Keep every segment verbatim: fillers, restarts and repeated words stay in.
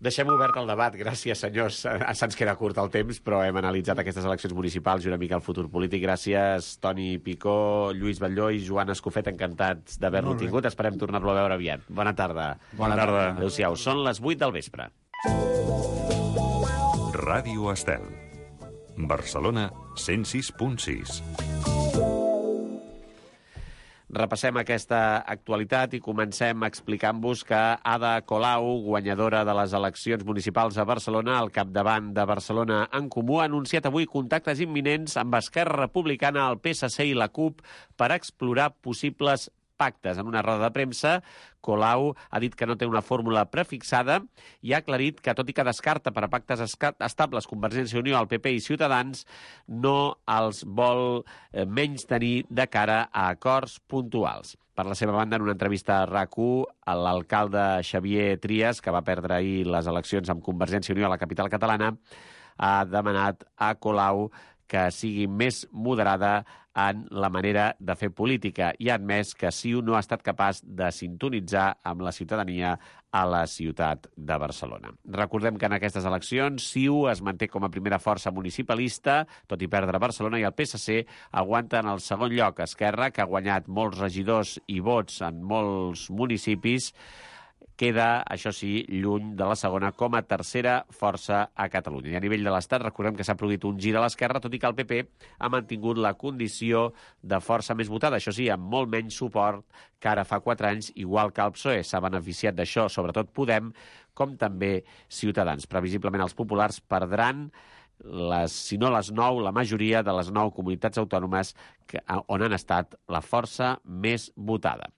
Deixem obert el debat, gràcies, senyors. Se'ns queda curt el temps, però hem analitzat aquestes eleccions municipals i una mica el futur polític. Gràcies, Toni Picó, Lluís Batlló i Joan Escofet, encantats d'haver-lo tingut. Esperem tornar-lo a veure aviat. Bona tarda. Bona tarda. Adéu-siau. Són les vuit del vespre. Ràdio Estel. Barcelona, cent sis punt sis. Repassem aquesta actualitat i comencem explicant-vos que Ada Colau, guanyadora de les eleccions municipals a Barcelona, al capdavant de Barcelona en Comú, ha anunciat avui contactes imminents amb Esquerra Republicana, el P S C i la CUP per explorar possibles pactes. En una roda de premsa, Colau ha dit que no té una fórmula prefixada i ha aclarit que, tot i que descarta per a pactes estables Convergència i Unió, el P P i Ciutadans, no els vol menys tenir de cara a acords puntuals. Per la seva banda, en una entrevista a RAC u, l'alcalde Xavier Trias, que va perdre ahir les eleccions amb Convergència i Unió a la capital catalana, ha demanat a Colau que sigui més moderada en la manera de fer política i ha admès que C I U no ha estat capaç de sintonitzar amb la ciutadania a la ciutat de Barcelona. Recordem que en aquestes eleccions C I U es manté com a primera força municipalista, tot i perdre Barcelona, i el P S C aguanta en el segon lloc. Esquerra, que ha guanyat molts regidors i vots en molts municipis, queda, això sí, lluny de la segona com a tercera força a Catalunya. I a nivell de l'Estat, recordem que s'ha produït un gir a l'esquerra, tot i que el P P ha mantingut la condició de força més votada, això sí, amb molt menys suport que ara fa quatre anys, igual que el P S O E. S'ha beneficiat d'això, sobretot Podem, com també Ciutadans. Previsiblement els populars perdran les, si no les nou, la majoria de les nou comunitats autònomes que, on han estat la força més votada.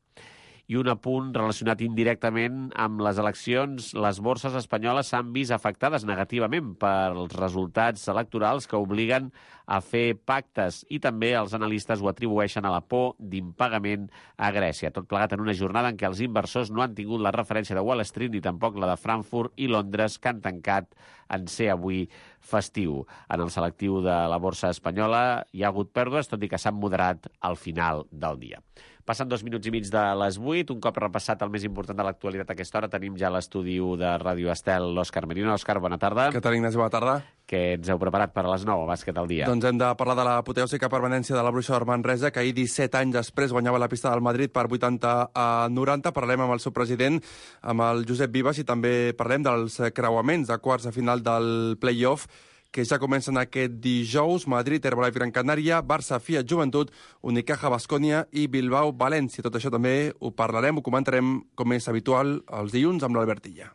I un apunt relacionat indirectament amb les eleccions, les borses espanyoles s'han vist afectades negativament pels resultats electorals que obliguen a fer pactes i també els analistes ho atribueixen a la por d'impagament a Grècia. Tot plegat en una jornada en què els inversors no han tingut la referència de Wall Street ni tampoc la de Frankfurt i Londres, que han tancat en ser avui festiu. En el selectiu de la borsa espanyola hi ha hagut pèrdues, tot i que s'han moderat al final del dia. Passen dos minuts i mig de les vuit. Un cop repassat el més important de l'actualitat a aquesta hora, tenim ja a l'estudi de Ràdio Estel l'Òscar Merino. Òscar, bona tarda. Què tal, Ignasi? Bona tarda. Què ens heu preparat per a les nou, bàsquet al dia? Doncs hem de parlar de l'apoteòsica permanència de la Bruixa de Manresa, que ahir, disset anys després, guanyava la pista del Madrid per vuitanta a noranta. Parlem amb el seu president, amb el Josep Vives, i també parlem dels creuaments de quarts de final del play-off, que ja comencen aquest dijous. Madrid, Herbalife Gran Canària, Barça, Fiat Joventut, Unicaja Baskonia i Bilbao València. Tot això també ho parlarem, ho comentarem, com és habitual, els dilluns amb l'Albert Illa.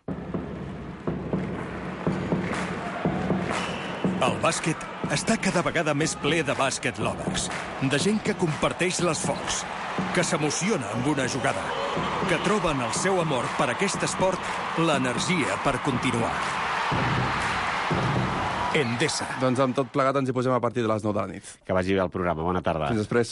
El bàsquet està cada vegada més ple de bàsquet lovers, de gent que comparteix l'esforç, que s'emociona amb una jugada, que troben el seu amor per aquest esport, l'energia per continuar. Endesa. Doncs amb tot plegat ens hi posem a partir de les nou de la nit. Que vagi bé el programa. Bona tarda. Fins després.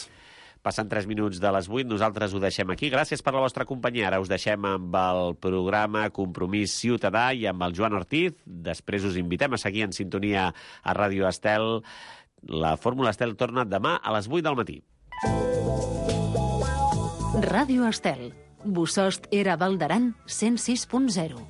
Passen tres minuts de les vuit, nosaltres ho deixem aquí. Gràcies per la vostra companyia. Ara us deixem amb el programa Compromís Ciutadà i amb el Joan Ortiz. Després us invitem a seguir en sintonia a Ràdio Estel. La Fórmula Estel torna demà a les vuit del matí. Ràdio Estel. Bosost era Val d'Aran, cent sis punt zero.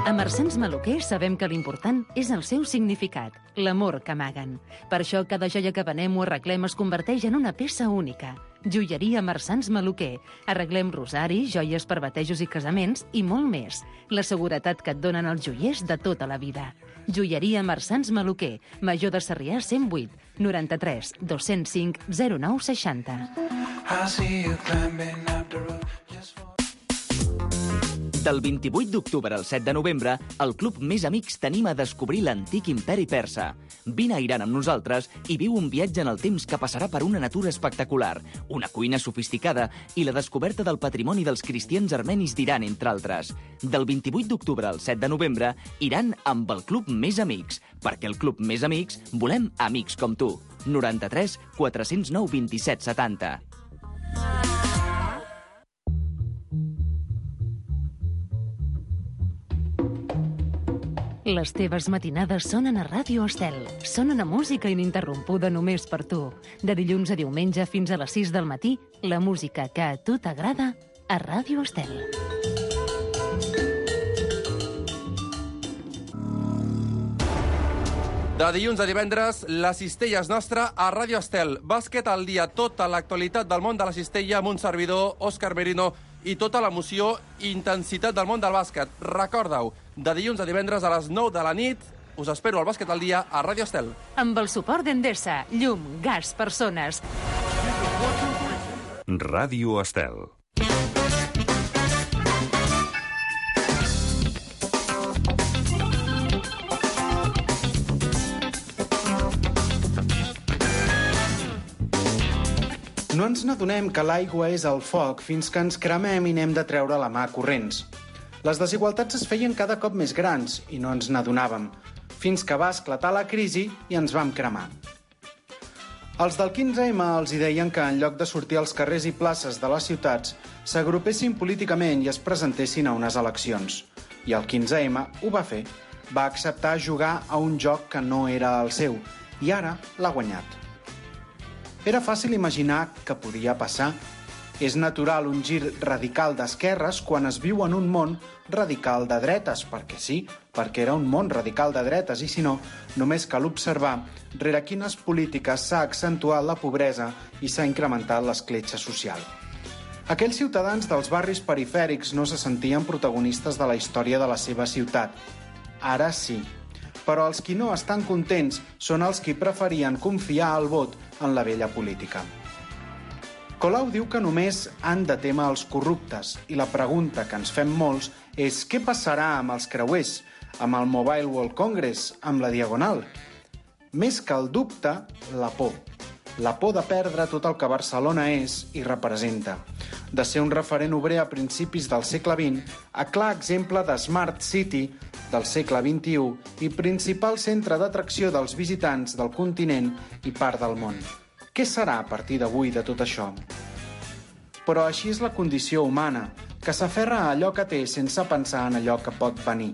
A Marsans Maluquer sabem que l'important és el seu significat, l'amor que amaguen. Per això cada joia que venem o arreglem es converteix en una peça única. Joieria Marsans Maluquer. Arreglem rosari, joies per batejos i casaments i molt més. La seguretat que et donen els joiers de tota la vida. Joieria Marsans Maluquer. Major de Sarrià cent vuit, noranta-tres, dos-cents cinc, zero nou seixanta. Del vint-i-vuit d'octubre al set de novembre, el Club Més Amics t'anima a descobrir l'antic imperi persa. Vine a Iran amb nosaltres i viu un viatge en el temps que passarà per una natura espectacular, una cuina sofisticada i la descoberta del patrimoni dels cristians armenis d'Iran, entre altres. Del vint-i-vuit d'octubre al set de novembre, Iran amb el Club Més Amics, perquè el Club Més Amics volem amics com tu. noranta-tres, quatre-cents nou, vint-i-set, setanta. Les teves matinades sonen a Ràdio Estel. Sonen a música ininterrompuda només per tu. De dilluns a diumenge fins a les sis del matí, la música que a tu t'agrada a Ràdio Estel. De dilluns a divendres, la cistella és nostra a Ràdio Estel. Bàsquet al dia, tota l'actualitat del món de la cistella amb un servidor, Òscar Merino, i tota l'emoció i intensitat del món del bàsquet. Recorda-ho, de dilluns a divendres a les nou de la nit, us espero al Bàsquet al dia a Ràdio Estel. Amb el suport d'Endesa, llum, gas, persones. Ràdio Estel. No ens n'adonem que l'aigua és el foc fins que ens cremem i n'hem de treure la mà corrents. Les desigualtats es feien cada cop més grans i no ens n'adonàvem, fins que va esclatar la crisi i ens vam cremar. Els del quinze ema els hi deien que en lloc de sortir als carrers i places de les ciutats s'agrupessin políticament i es presentessin a unes eleccions. I el quinze ema ho va fer. Va acceptar jugar a un joc que no era el seu i ara l'ha guanyat. Era fàcil imaginar que podia passar. És natural un gir radical d'esquerres quan es viu en un món radical de dretes, perquè sí, perquè era un món radical de dretes, i si no, només cal observar rere quines polítiques s'ha accentuat la pobresa i s'ha incrementat l'escletxa social. Aquells ciutadans dels barris perifèrics no se sentien protagonistes de la història de la seva ciutat. Ara sí. Però els qui no estan contents són els qui preferien confiar el vot en la vella política. Colau diu que només han de témer els corruptes i la pregunta que ens fem molts és què passarà amb els creuers, amb el Mobile World Congress, amb la Diagonal? Més que el dubte, la por. La por de perdre tot el que Barcelona és i representa. De ser un referent obrer a principis del segle vint a clar exemple de Smart City del segle vint-i-u i principal centre d'atracció dels visitants del continent i part del món. Què serà a partir d'avui de tot això? Però així és la condició humana, que s'aferra a allò que té sense pensar en allò que pot venir.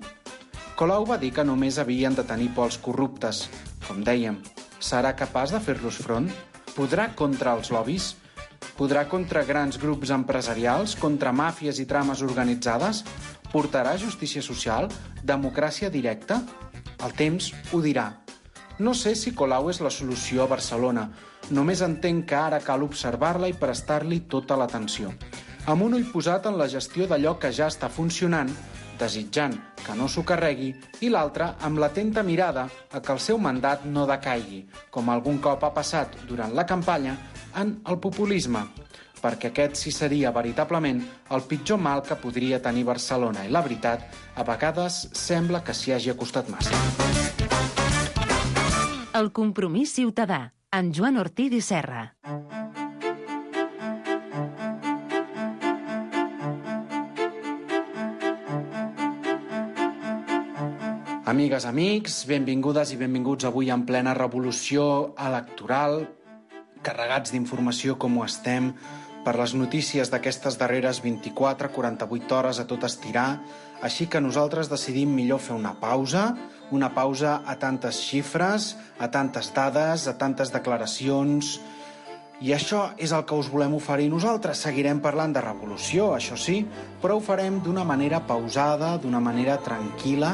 Colau va dir que només havien de tenir por els corruptes. Com dèiem, serà capaç de fer-los front? Podrà contra els lobbies? Podrà contra grans grups empresarials, contra màfies i trames organitzades? Portarà justícia social? Democràcia directa? El temps ho dirà. No sé si Colau és la solució a Barcelona. Només entenc que ara cal observar-la i prestar-li tota l'atenció. Amb un ull posat en la gestió d'allò que ja està funcionant, desitjant que no s'ho carregui, i l'altre amb l'atenta mirada a que el seu mandat no decaigui, com algun cop ha passat durant la campanya, en el populisme, perquè aquest sí seria veritablement el pitjor mal que podria tenir Barcelona, i la veritat, a vegades sembla que s'hi hagi acostat massa. El compromís ciutadà, amb Joan Ortiz i Serra. Amigues, amics, benvingudes i benvinguts avui en plena revolució electoral, carregats d'informació com ho estem, per les notícies d'aquestes darreres vint-i-quatre a quaranta-vuit hores a tot estirar, així que nosaltres decidim millor fer una pausa, una pausa a tantes xifres, a tantes dades, a tantes declaracions. I això és el que us volem oferir nosaltres. Seguirem parlant de revolució, això sí, però ho farem d'una manera pausada, d'una manera tranquil·la,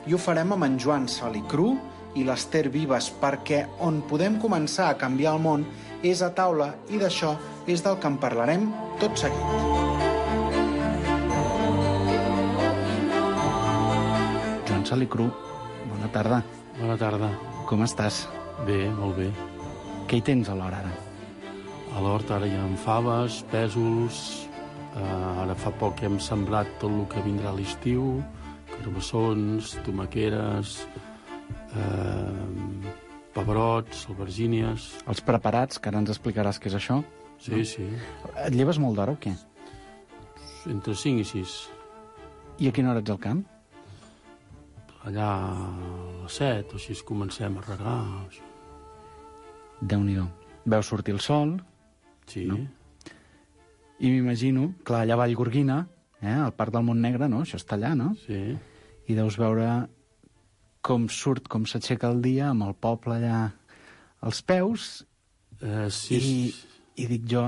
i ho farem amb en Joan Salicru i l'Ester Vives, perquè on podem començar a canviar el món és a taula, i d'això és del que en parlarem tot seguit. Joan Salicru, bona tarda. Bona tarda. Com estàs? Bé, molt bé. Què hi tens a l'hora ara? A l'hort ara hi ha faves, pèsols, eh, ara fa poc hem sembrat tot el que vindrà a l'estiu, carbassons, tomaqueres, eh, pebrots, albergínies... Els preparats, que ara ens explicaràs què és això? Sí, no? Sí. Et lleves molt d'hora o què? Entre cinc i sis. I a quina hora ets al camp? Allà a les set, o així comencem a regar. Així. Déu-n'hi-do. Veus sortir el sol... Sí. No? I m'imagino, clar, allà a Vallgorguina, eh, al Parc del Montnegre, no? Això està allà, no? Sí. I deus veure com surt, com s'aixeca el dia, amb el poble allà als peus, eh, sí. i, i dic jo,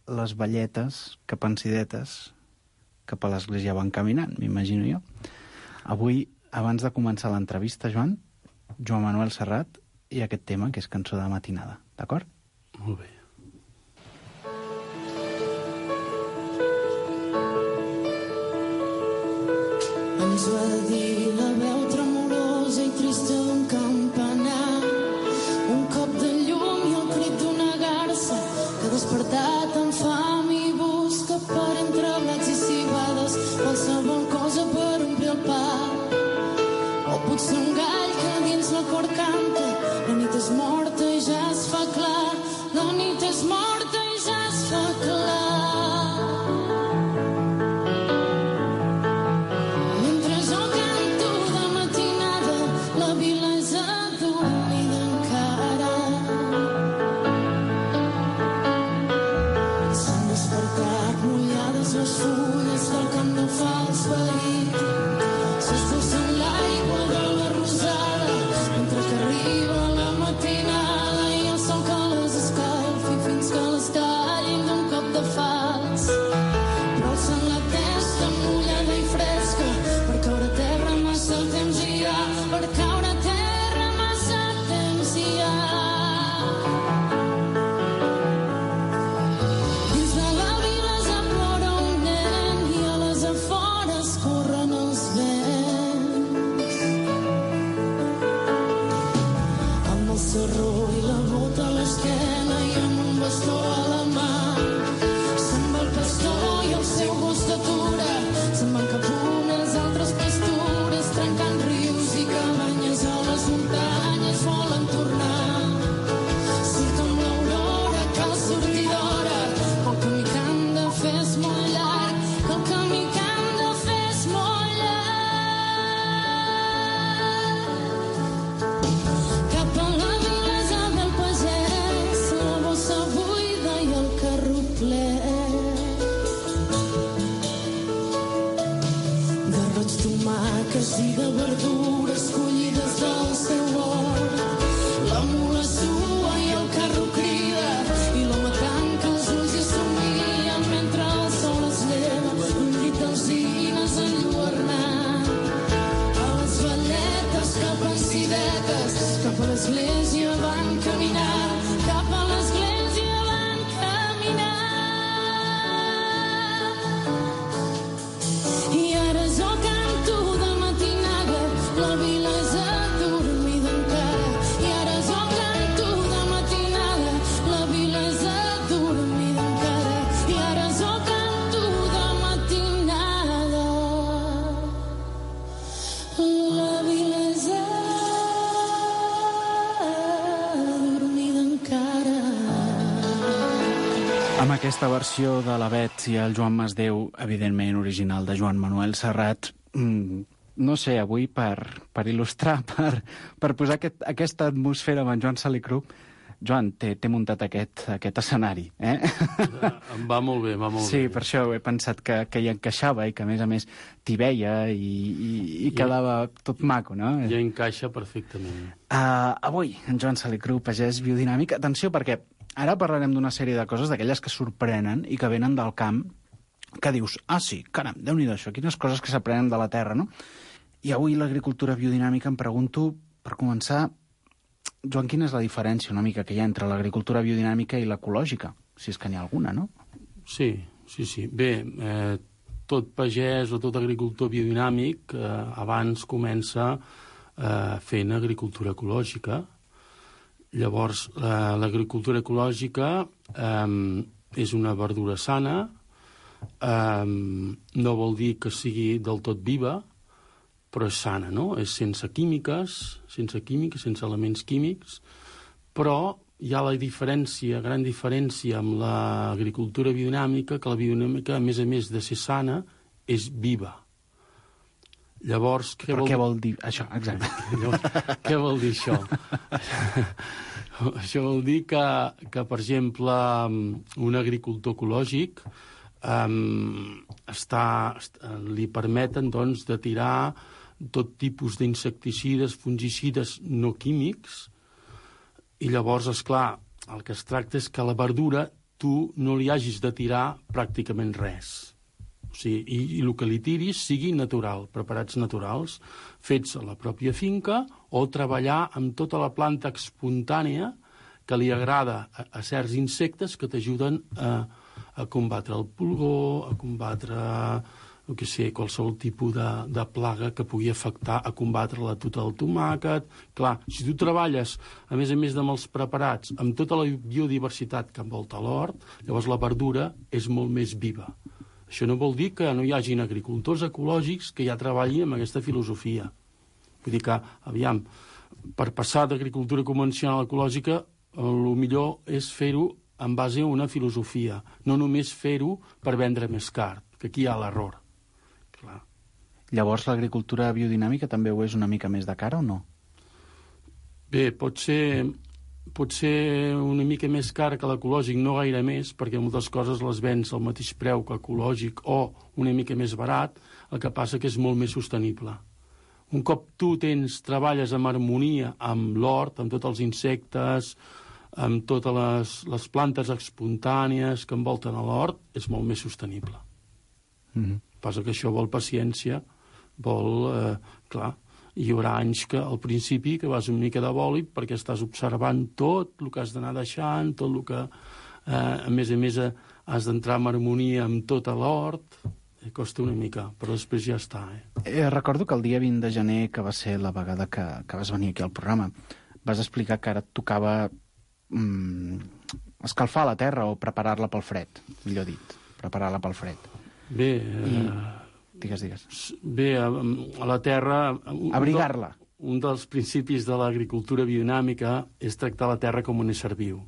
les velletes capansidetes cap a l'església van caminant, m'imagino jo. Avui, abans de començar l'entrevista, Joan, Joan Manuel Serrat i aquest tema, que és Cançó de matinada, d'acord? Molt bé. Ens va dir la veu tremolosa i trista d'un campanar, un cop de llum i el crit d'una garça que ha despertat amb fam i busca per entre blats i cibades qualsevol cosa per omplir el pa. O potser un gall que dins la cor canta, la nit és morta i ja es fa clar, la nit és morta i ja es fa clar. Les fulles del camp no fa els veïns s'esbossen l'aigua de la rosada mentre que arriba la matinada i el sol que les escalfi fins que les tallin d'un cop de falç, però alçant la testa mullada i fresca per caure a terra massa temps hi ha, per caure a terra massa temps hi ha. I de verdures collides del seu hort, la mula sua i el carro crida i l'home tanca els ulls i somia mentre el sol es lleva un llit d'alzines enlluernat. A les velletes cap a ciretes, cap a l'església van caminar, cap a l'església van caminar. I ara jo canto de matinada, la vila és adormida encara. I ara jo canto de matinada, la vila és adormida encara. I ara jo canto de matinada, la vila és adormida encara. Amb aquesta versió de la Bet i el Joan Masdeu, evidentment original de Joan Manuel Serrat, mmm, no sé, avui per, per il·lustrar, per, per posar aquest, aquesta atmosfera amb en Joan Salicrup, Joan, t'he muntat aquest, aquest escenari, eh? Em va molt bé, va molt sí, bé. Sí, per això he pensat que, que hi encaixava i que, a més a més, t'hi veia i, i, i quedava tot maco, no? Ja encaixa perfectament. Uh, avui, en Joan Salicrup, pagès biodinàmic. Atenció, perquè ara parlarem d'una sèrie de coses, d'aquelles que sorprenen i que venen del camp, que dius, ah, sí, caram, déu-n'hi-do això, quines coses que s'aprenen de la terra, no? I avui l'agricultura biodinàmica em pregunto, per començar, Joan, quina és la diferència una mica que hi ha entre l'agricultura biodinàmica i l'ecològica? Si és que n'hi ha alguna, no? Sí, sí, sí. Bé, eh, tot pagès o tot agricultor biodinàmic eh, abans comença eh, fent agricultura ecològica. Llavors, eh, l'agricultura ecològica eh, és una verdura sana, eh, no vol dir que sigui del tot viva, però és sana, no? És sense químiques, sense químiques, sense elements químics, però hi ha la diferència, gran diferència amb l'agricultura biodinàmica, que la biodinàmica, a més a més de ser sana, és viva. Llavors, què però vol... què vol dir això? Exacte. Llavors, què vol dir això? Això vol dir que, que, per exemple, un agricultor ecològic um, està, li permeten, doncs, de tirar tot tipus d'insecticides, fungicides no químics, i llavors, esclar, el que es tracta és que a la verdura tu no li hagis de tirar pràcticament res. O sigui, i, i el que li tiris sigui natural, preparats naturals, fets a la pròpia finca, o treballar amb tota la planta espontània que li agrada a, a certs insectes que t'ajuden a, a combatre el pulgó, a combatre, no que sé, qualsevol tipus de, de plaga que pugui afectar a combatre la tuta del tomàquet. Clar, si tu treballes, a més a més de els preparats, amb tota la biodiversitat que envolta l'hort, llavors la verdura és molt més viva. Això no vol dir que no hi hagin agricultors ecològics que ja treballin amb aquesta filosofia. Vull dir que, aviam, per passar d'agricultura convencional a ecològica, el millor és fer-ho en base a una filosofia, no només fer-ho per vendre més car, que aquí hi ha l'error. Clar. Llavors l'agricultura biodinàmica també ho és una mica més de cara o no? Bé, pot ser, pot ser una mica més cara que l'ecològic, no gaire més, perquè moltes coses les vens al mateix preu que ecològic o una mica més barat, el que passa que és molt més sostenible. Un cop tu tens, treballes en harmonia amb l'hort, amb tots els insectes, amb totes les, les plantes espontànies que envolten a l'hort, és molt més sostenible. Mm-hmm. Passa que això vol paciència, vol, eh, clar, hi haurà anys que al principi que vas una mica de bòlit perquè estàs observant tot el que has d'anar deixant, tot el que, eh, a més a més, has d'entrar en harmonia amb tot l'hort. Costa una mica, però després ja està. Eh? Eh, recordo que el dia vint de gener, que va ser la vegada que, que vas venir aquí al programa, vas explicar que ara et tocava mm, escalfar la terra o preparar-la pel fred, millor dit, preparar-la pel fred. Bé, I... eh, digues, digues. Bé, a, a la terra... Abrigar-la. Un, un dels principis de l'agricultura biodinàmica és tractar la terra com un ésser viu.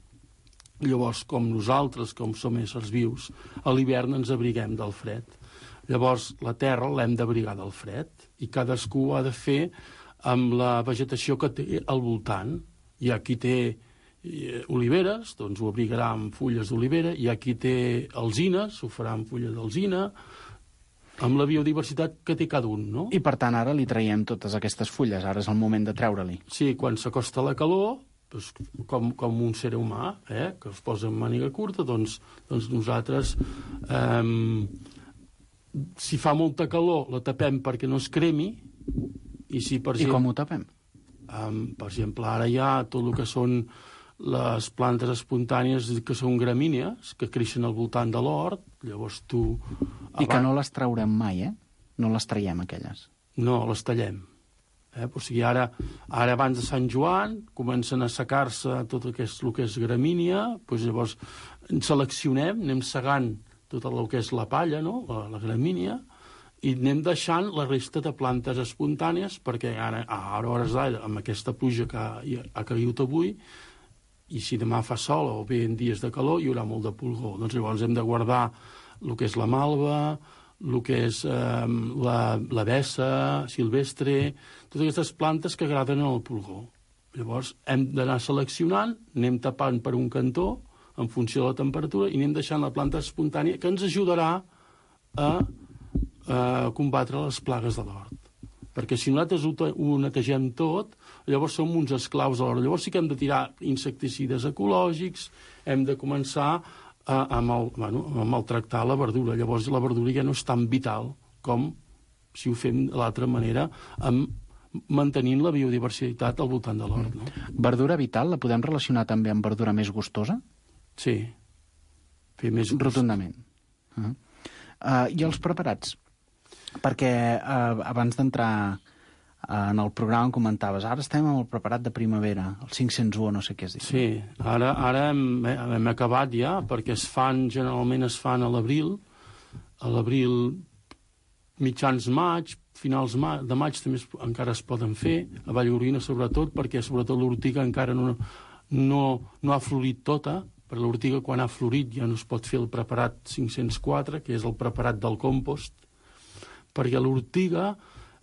Llavors, com nosaltres, com som éssers vius, a l'hivern ens abriguem del fred. Llavors, la terra l'hem d'abrigar del fred i cadascú ho ha de fer amb la vegetació que té al voltant. Hi ha qui té eh, oliveres, doncs ho abrigarà amb fulles d'olivera, hi ha qui té alzines, ho farà amb fulles d'alzina, amb la biodiversitat que té cada un, no? I, per tant, ara li traiem totes aquestes fulles, ara és el moment de treure-li. Sí, quan s'acosta la calor, doncs, com, com un ser humà, eh, que es posa en màniga curta, doncs, doncs nosaltres... Eh, si fa molta calor, la tapem perquè no es cremi, i si, per I exemple... I com ho tapem? Um, per exemple, ara hi ha tot el que són les plantes espontànies que són gramínies, que creixen al voltant de l'hort, llavors tu... I que no les traurem mai, eh? No les traiem, aquelles. No, les tallem. Eh? O sigui, ara, ara abans de Sant Joan comencen a assecar-se tot el que és, el que és gramínia, doncs llavors seleccionem, anem segant tot el que és la palla, no? la, la gramínia, i anem deixant la resta de plantes espontànies perquè ara, a hores d'ara, amb aquesta pluja que ha, ha caigut avui, i si demà fa sol o bé en dies de calor, hi haurà molt de pulgó. Doncs llavors hem de guardar el que és la malva, el que és eh, la, la bessa silvestre, totes aquestes plantes que agraden al pulgó. Llavors hem d'anar seleccionant, anem tapant per un cantó, en funció de la temperatura, i anem deixant la planta espontània que ens ajudarà a, a combatre les plagues de l'hort. Perquè si nosaltres ho, ho netegem tot, llavors som uns esclaus de l'hort. Llavors sí que hem de tirar insecticides ecològics, hem de començar a, a, mal, bueno, a maltractar la verdura. Llavors la verdura ja no és tan vital com si ho fem de l'altra manera, amb mantenint la biodiversitat al voltant de l'hort. No? Verdura vital la podem relacionar també amb verdura més gustosa? Sí. Fer més gust. Rotundament. Uh -huh. uh, I els preparats? Perquè uh, abans d'entrar uh, en el programa em comentaves, ara estem amb el preparat de primavera, el cinc-cents u, no sé què es diu. Sí, ara, ara hem, hem acabat ja, perquè es fan, generalment es fan a l'abril, a l'abril mitjans maig, finals de maig també es, encara es poden fer, a Vallgorguina sobretot, perquè sobretot l'ortiga encara no, no, no ha florit tota, per l'ortiga quan ha florit ja no es pot fer el preparat cinc-cents quatre, que és el preparat del compost, perquè l'ortiga,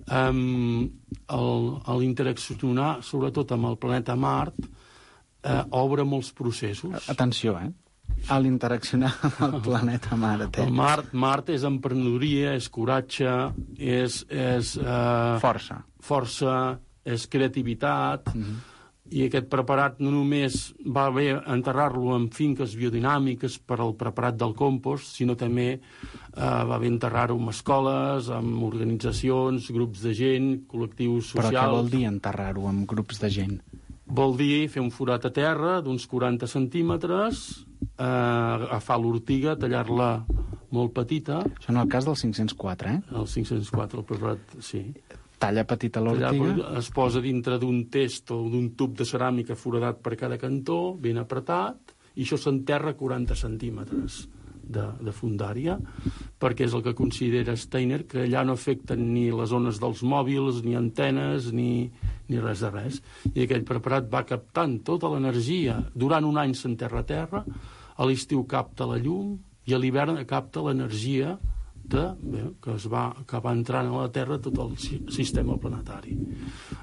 eh, l'interaccionar sobretot amb el planeta Mart, eh, obre molts processos. Atenció, eh? A l'interaccionar amb el planeta Mart. Eh? El Mart, Mart és emprenedoria, és coratge, és... és eh, força. Força, és creativitat... Mm-hmm. i aquest preparat no només va bé enterrar-lo en finques biodinàmiques per al preparat del compost, sinó també eh, va bé enterrar-ho en escoles, en organitzacions, grups de gent, col·lectius socials... Però què vol dir enterrar-ho en grups de gent? Vol dir fer un forat a terra d'uns quaranta centímetres, eh, agafar l'ortiga, tallar-la molt petita... Això en el cas del cinc-cents quatre, eh? El cinc-cents quatre, el preparat, sí. Talla petita l'ortiga... Es posa dintre d'un test o d'un tub de ceràmica foradat per cada cantó, ben apretat, i això s'enterra quaranta centímetres de, de fundària, perquè és el que considera Steiner, que allà no afecten ni les ones dels mòbils, ni antenes, ni, ni res de res. I aquell preparat va captant tota l'energia. Durant un any s'enterra a terra, a l'estiu capta la llum, i a l'hivern capta l'energia de, bé, que, es va, que va entrant a la Terra tot el sistema planetari.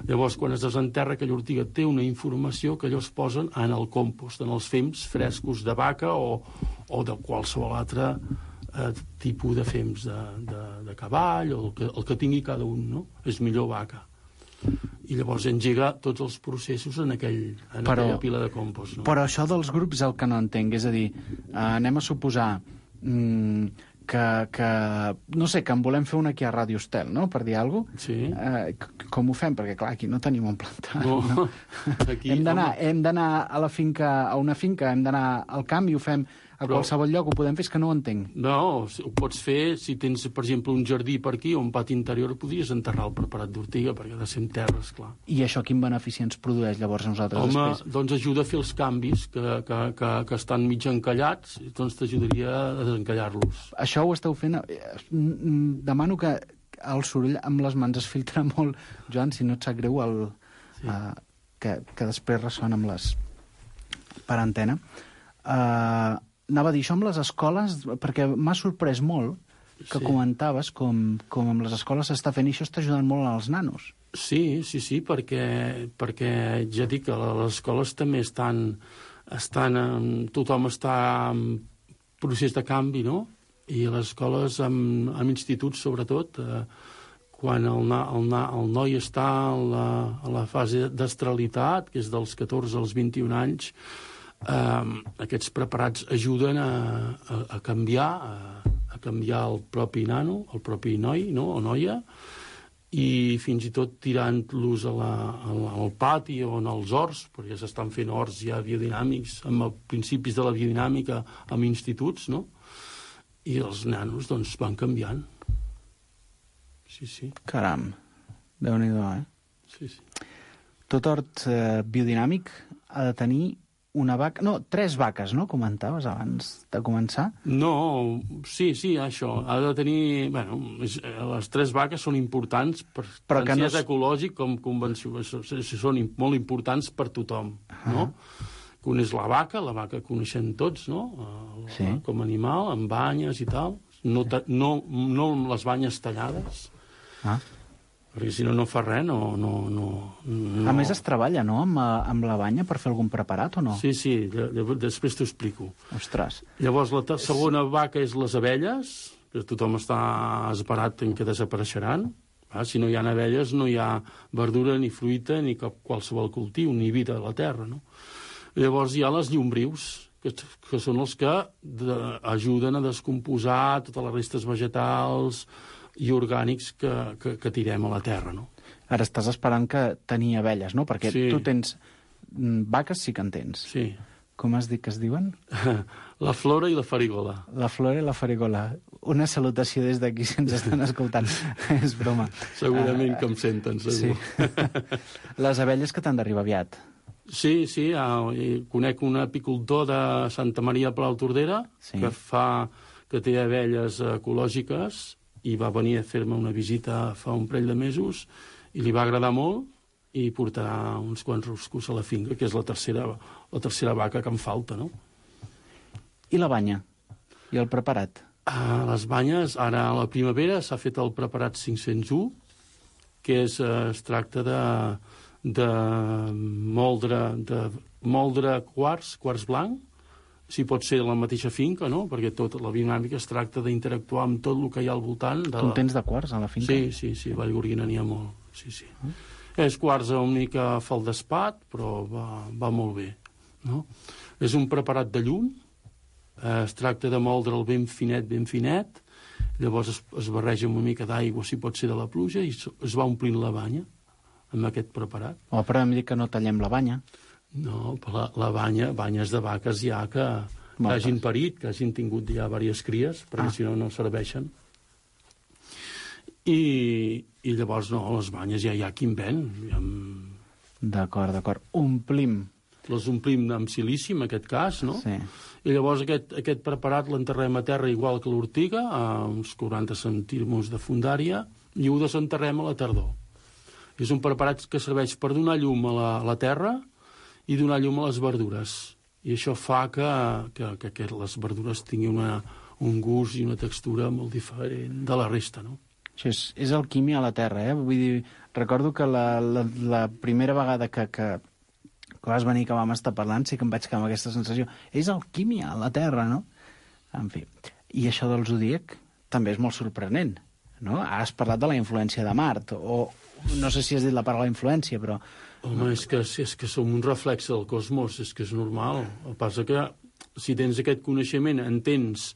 Llavors, quan es desenterra, aquella ortiga té una informació que allò es posen en el compost, en els fems frescos de vaca o, o de qualsevol altre eh, tipus de fems de, de, de cavall, o el que, el que tingui cada un, no? És millor vaca. I llavors engega tots els processos en, aquell, en però, aquella pila de compost. No? Però això dels grups és el que no entenc, és a dir, eh, anem a suposar... Mm, Que, que, no sé, que en volem fer una aquí a Ràdio Estel, no?, per dir alguna cosa. Sí. Eh, com ho fem? Perquè, clar, aquí no tenim un plantat. No. No? Aquí, hem d'anar hem d'anar a la finca, a una finca, hem d'anar al camp i ho fem a Però... qualsevol lloc, ho podem fer, és que no ho entenc. No, ho pots fer si tens, per exemple, un jardí per aquí o un pati interior, podries enterrar el preparat d'ortiga, perquè ha de ser en terra, esclar. I això quin benefici ens produeix, llavors, a nosaltres Home, després? Home, doncs ajuda a fer els canvis que, que, que, que estan mig encallats, doncs t'ajudaria a desencallar-los. Això ho esteu fent... Demano que el soroll amb les mans es filtra molt. Joan, si no et sap greu, el, sí. uh, que, que després ressona amb les... per antena. Uh, anava a dir això amb les escoles, perquè m'ha sorprès molt que sí. comentaves com, com amb les escoles s'està fent i això està ajudant molt als nanos. Sí, sí, sí, perquè, perquè ja dic que les escoles també estan... estan tothom està en procés de canvi, no? I les escoles, amb, amb instituts sobretot, eh, quan el, na, el, na, el noi està a la, a la fase d'estralitat, que és dels catorze als vint-i-un anys, eh, aquests preparats ajuden a, a, a canviar, a, a canviar el propi nano, el propi noi, no?, o noia, i fins i tot tirant-los a la, al, al pati o en els horts, perquè s'estan fent horts ja biodinàmics, amb els principis de la biodinàmica amb instituts, no?, i els nanos, doncs, van canviant. Sí, sí. Caram, Déu-n'hi-do, eh? Sí, sí. Tot hort eh, biodinàmic ha de tenir una vaca... No, tres vaques, no?, comentaves abans de començar. No, sí, sí, això. Ha de tenir... Bueno, és, les tres vaques són importants, per, Però tant si no és ecològic com convenció, són molt importants per tothom, uh-huh. no? Un és la vaca, la vaca coneixem tots, no?, el, sí. com a animal, amb banyes i tal. No, no, no amb les banyes tallades, ah. perquè si no, no fa res, no, no, no, no... A més, es treballa, no?, amb, amb la banya per fer algun preparat, o no? Sí, sí, després t'ho explico. Ostres. Llavors, la segona vaca és les abelles, que tothom està esperat en què desapareixeran. Ah, si no hi ha abelles, no hi ha verdura, ni fruita, ni cap qualsevol cultiu, ni vida a la terra, no? Llavors hi ha les llombrius, que, que són els que de, ajuden a descomposar totes les restes vegetals i orgànics que, que, que tirem a la terra, no? Ara estàs esperant que tenir abelles, no? Perquè sí. tu tens... Vaques sí que en tens. Sí. Com has dit que es diuen? La flora i la farigola. La flora i la farigola. Una salutació des d'aquí si ens estan escoltant. És broma. Segurament uh, que em senten, segur. Sí. Les abelles que t'han d'arribar aviat. Sí, sí, eh, conec un apicultor de Santa Maria de Palautordera sí. que fa que té abelles ecològiques i va venir a fer-me una visita fa un parell de mesos i li va agradar molt i portarà uns quants ruscos a la finca, que és la tercera, la tercera vaca que em falta, no? I la banya? I el preparat? A les banyes, ara a la primavera s'ha fet el preparat cinc-cents u, que és, eh, es tracta de... de moldre, de moldre quars, quars blanc, si pot ser la mateixa finca, no?, perquè tota la biodinàmica es tracta d'interactuar amb tot el que hi ha al voltant. De tu en tens de quars a la finca? Sí, sí, sí, a Vallgorguina n'hi ha molt. sí, sí. És quars una mica feldespat, però va, va molt bé, no? És un preparat de llum, eh, es tracta de moldre'l ben finet, ben finet, llavors es, es barreja una mica d'aigua, si pot ser de la pluja, i es va omplint la banya amb aquest preparat. O però hem dit que no tallem la banya. No, la, la banya, banyes de vaques ja que, que hagin parit, que hagin tingut ja diverses cries, perquè ah. si no, no serveixen. I, i llavors, no, les banyes ja hi ha qui en ven. Ja amb... D'acord, d'acord. Omplim. Les omplim amb silici, en aquest cas, no? Sí. I llavors aquest, aquest preparat l'enterrem a terra igual que l'ortiga, a uns quaranta centímetres de fundària, i ho desenterrem a la tardor. És un preparat que serveix per donar llum a la, a la terra i donar llum a les verdures. I això fa que, que, que, que les verdures tinguin una, un gust i una textura molt diferent de la resta, no? Això és, és alquímia a la terra, eh? Vull dir, recordo que la, la, la primera vegada que, que, que vas venir, que vam estar parlant, sí que em vaig quedar amb aquesta sensació. És alquímia a la terra, no? En fi. I això del zodíac també és molt sorprenent, no? Has parlat de la influència de Mart, o no sé si has dit la paraula influència, però... Home, és que, és que som un reflex del cosmos, és que és normal. El que passa que si tens aquest coneixement, entens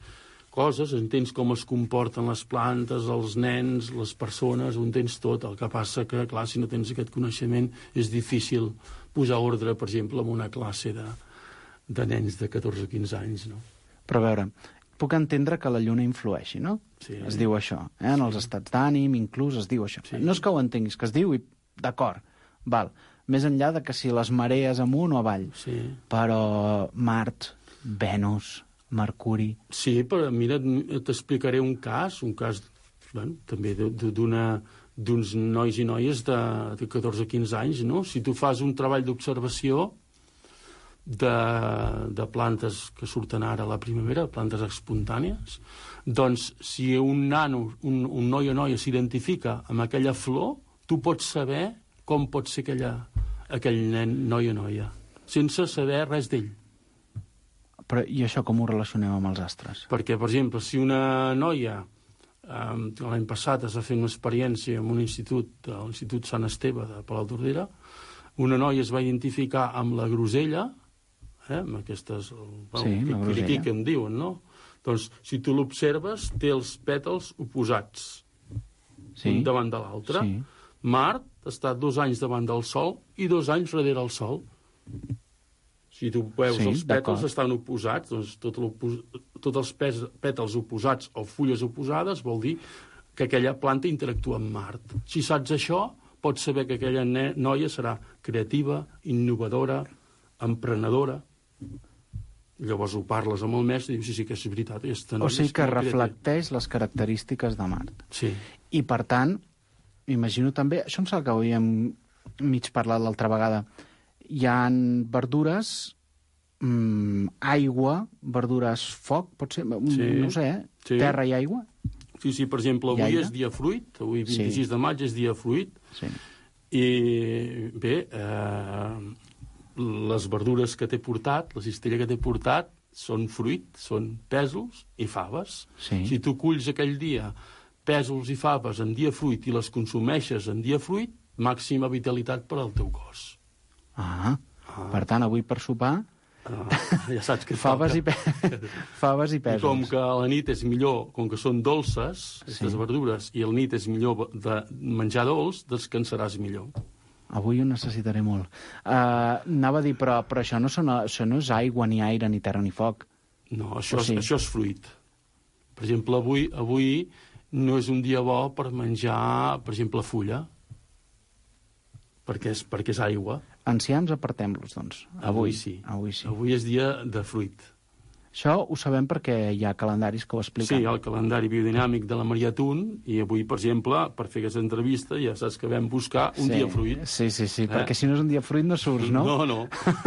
coses, entens com es comporten les plantes, els nens, les persones, ho entens tot. El que passa que, clar, si no tens aquest coneixement, és difícil posar ordre, per exemple, en una classe de, de nens de catorze o quinze anys, no? Però a veure, puc entendre que la lluna influeixi, no? Sí. Es diu això, eh? En els estats d'ànim, inclús, es diu això. Sí. No és que ho entenguis, que es diu i d'acord, val. Més enllà de que si les marees amunt o avall. Sí. Però Mart, Venus, Mercuri... Sí, però mira, t'explicaré un cas, un cas, bueno, també d'una d'uns nois i noies de, de catorze o quinze anys, no? Si tu fas un treball d'observació de, de plantes que surten ara a la primavera, plantes espontànies, doncs si un nano, un, un noi o noia s'identifica amb aquella flor, tu pots saber com pot ser aquella, aquell nen, noi o noia, sense saber res d'ell. Però i això com ho relacionem amb els astres? Perquè, per exemple, si una noia, eh, l'any passat es va fer una experiència en un institut, l'Institut Sant Esteve de Palau d'Ordera, una noia es va identificar amb la grosella, eh, amb aquestes... Bueno, sí, la grosella. Que em diuen, no? Doncs, si tu l'observes, té els pètals oposats, sí, un davant de l'altre. Sí. Mart està dos anys davant del Sol i dos anys darrere el Sol. Si tu veus, sí, els pètals estan oposats, doncs tot tots els pètals oposats o fulles oposades vol dir que aquella planta interactua amb Mart. Si saps això, pots saber que aquella noia serà creativa, innovadora, emprenedora. Llavors ho parles amb el mestre i dius, sí, sí, que és veritat. O sigui que reflecteix les característiques de Mart. Sí. I, per tant, m'imagino també, això em sembla que havíem mig parlat l'altra vegada, hi ha verdures, mmm, aigua, verdures foc, pot ser, sí, no sé, eh? Sí. Terra i aigua? Sí, sí, per exemple, avui és dia fruit, avui vint-i-sis de maig és dia fruit, sí. I bé, eh, les verdures que t'he portat, la cistella que t'he portat, són fruit, són pèsols i faves. Sí. Si tu culls aquell dia pèsols i faves en dia fruit i les consumeixes en dia fruit, màxima vitalitat per al teu cos. Ah, ah. Per tant, avui per sopar... Ah, ja saps que faves, i pe... faves i pèsols. I com que a la nit és millor, com que són dolces, aquestes sí. verdures, i a la nit és millor de menjar dolç, descansaràs millor. Avui ho necessitaré molt. Uh, anava a dir, però, però això, no són, això no és aigua, ni aire, ni terra, ni foc. No, això, sí. és, això és fruit. Per exemple, avui, avui no és un dia bo per menjar, per exemple, fulla, perquè és, perquè és aigua. Ancians, apartem-los, doncs. Avui, avui sí. Avui sí. Avui és dia de fruit. Això ho sabem perquè hi ha calendaris que ho expliquen. Sí, hi ha el calendari biodinàmic de la Maria Tun, i avui, per exemple, per fer aquesta entrevista, ja saps que vam buscar un sí, dia fruit. Sí, sí, sí, eh? perquè si no és un dia fruit no surts, no? No, no.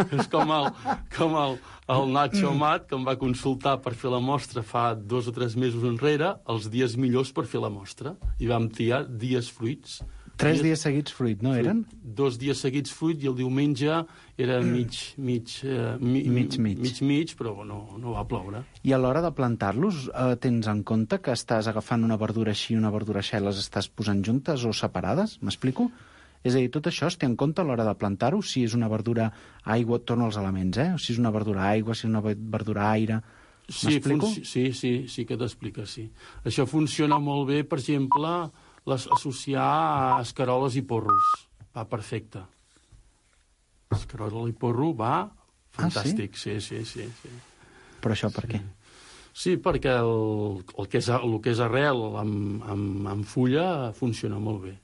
És com el, com el, el Nacho Amat, que em va consultar per fer la mostra fa dos o tres mesos enrere, els dies millors per fer la mostra, i vam triar dies fruits. Tres dies seguits fruit, no eren? Dos dies seguits fruit i el diumenge era mig, mig, eh, mi, mig, mig. mig, mig, però no, no va ploure. I a l'hora de plantar-los, eh, tens en compte que estàs agafant una verdura així i una verdura així, les estàs posant juntes o separades? M'explico? És a dir, tot això es té en compte a l'hora de plantar-ho? Si és una verdura aigua, torno als elements, eh? Si és una verdura aigua, si és una verdura aire... Sí, sí, sí, sí que t'explica, sí. Això funciona molt bé, per exemple, les, associar a escaroles i porros. Va perfecte. Escarola i porro va fantàstic, ah, sí? Sí, sí, sí, sí. Però això per sí. què? Sí, perquè el, el, que és, el que és arrel amb, amb, amb fulla funciona molt bé.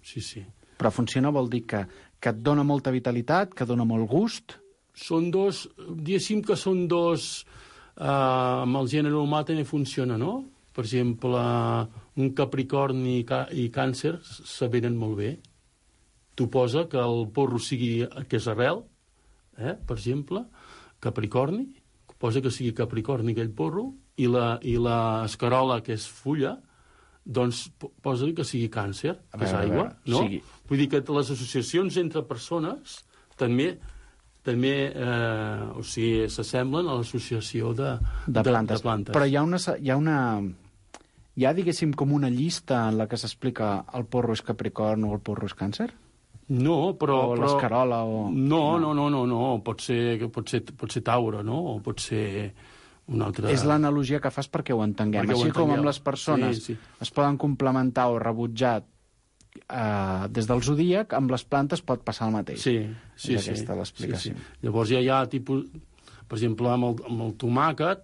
Sí, sí. Però funciona vol dir que, que et dona molta vitalitat, que dona molt gust? Són dos, diguéssim que són dos... Uh, amb el gènere humà també funciona, no? Per exemple, un capricorni i, ca i càncer se venen molt bé. Tu posa que el porro sigui, que és arrel, eh? Per exemple, capricorni, posa que sigui capricorni aquell porro, i la, i la escarola, que és fulla, doncs posa que sigui càncer, que és aigua, no? Sí. Vull dir que les associacions entre persones també... també eh, o sigui, s'assemblen a l'associació de, de, plantes. de plantes. Però hi ha una... Hi ha, una, hi ha, diguéssim, com una llista en la que s'explica el porro és capricorn o el porro és càncer? No, però... O però... l'escarola o... No, no, no, no, no. Pot ser, pot ser, pot ser taure, no? O pot ser una altra... És l'analogia que fas perquè ho entenguem. Perquè Així ho com amb les persones sí, sí. es poden complementar o rebutjar Uh, des del zodíac, amb les plantes pot passar el mateix. Sí, sí, és sí. aquesta l'explicació. Sí, sí. Llavors ja hi ha tipus... Per exemple, amb el, amb el tomàquet,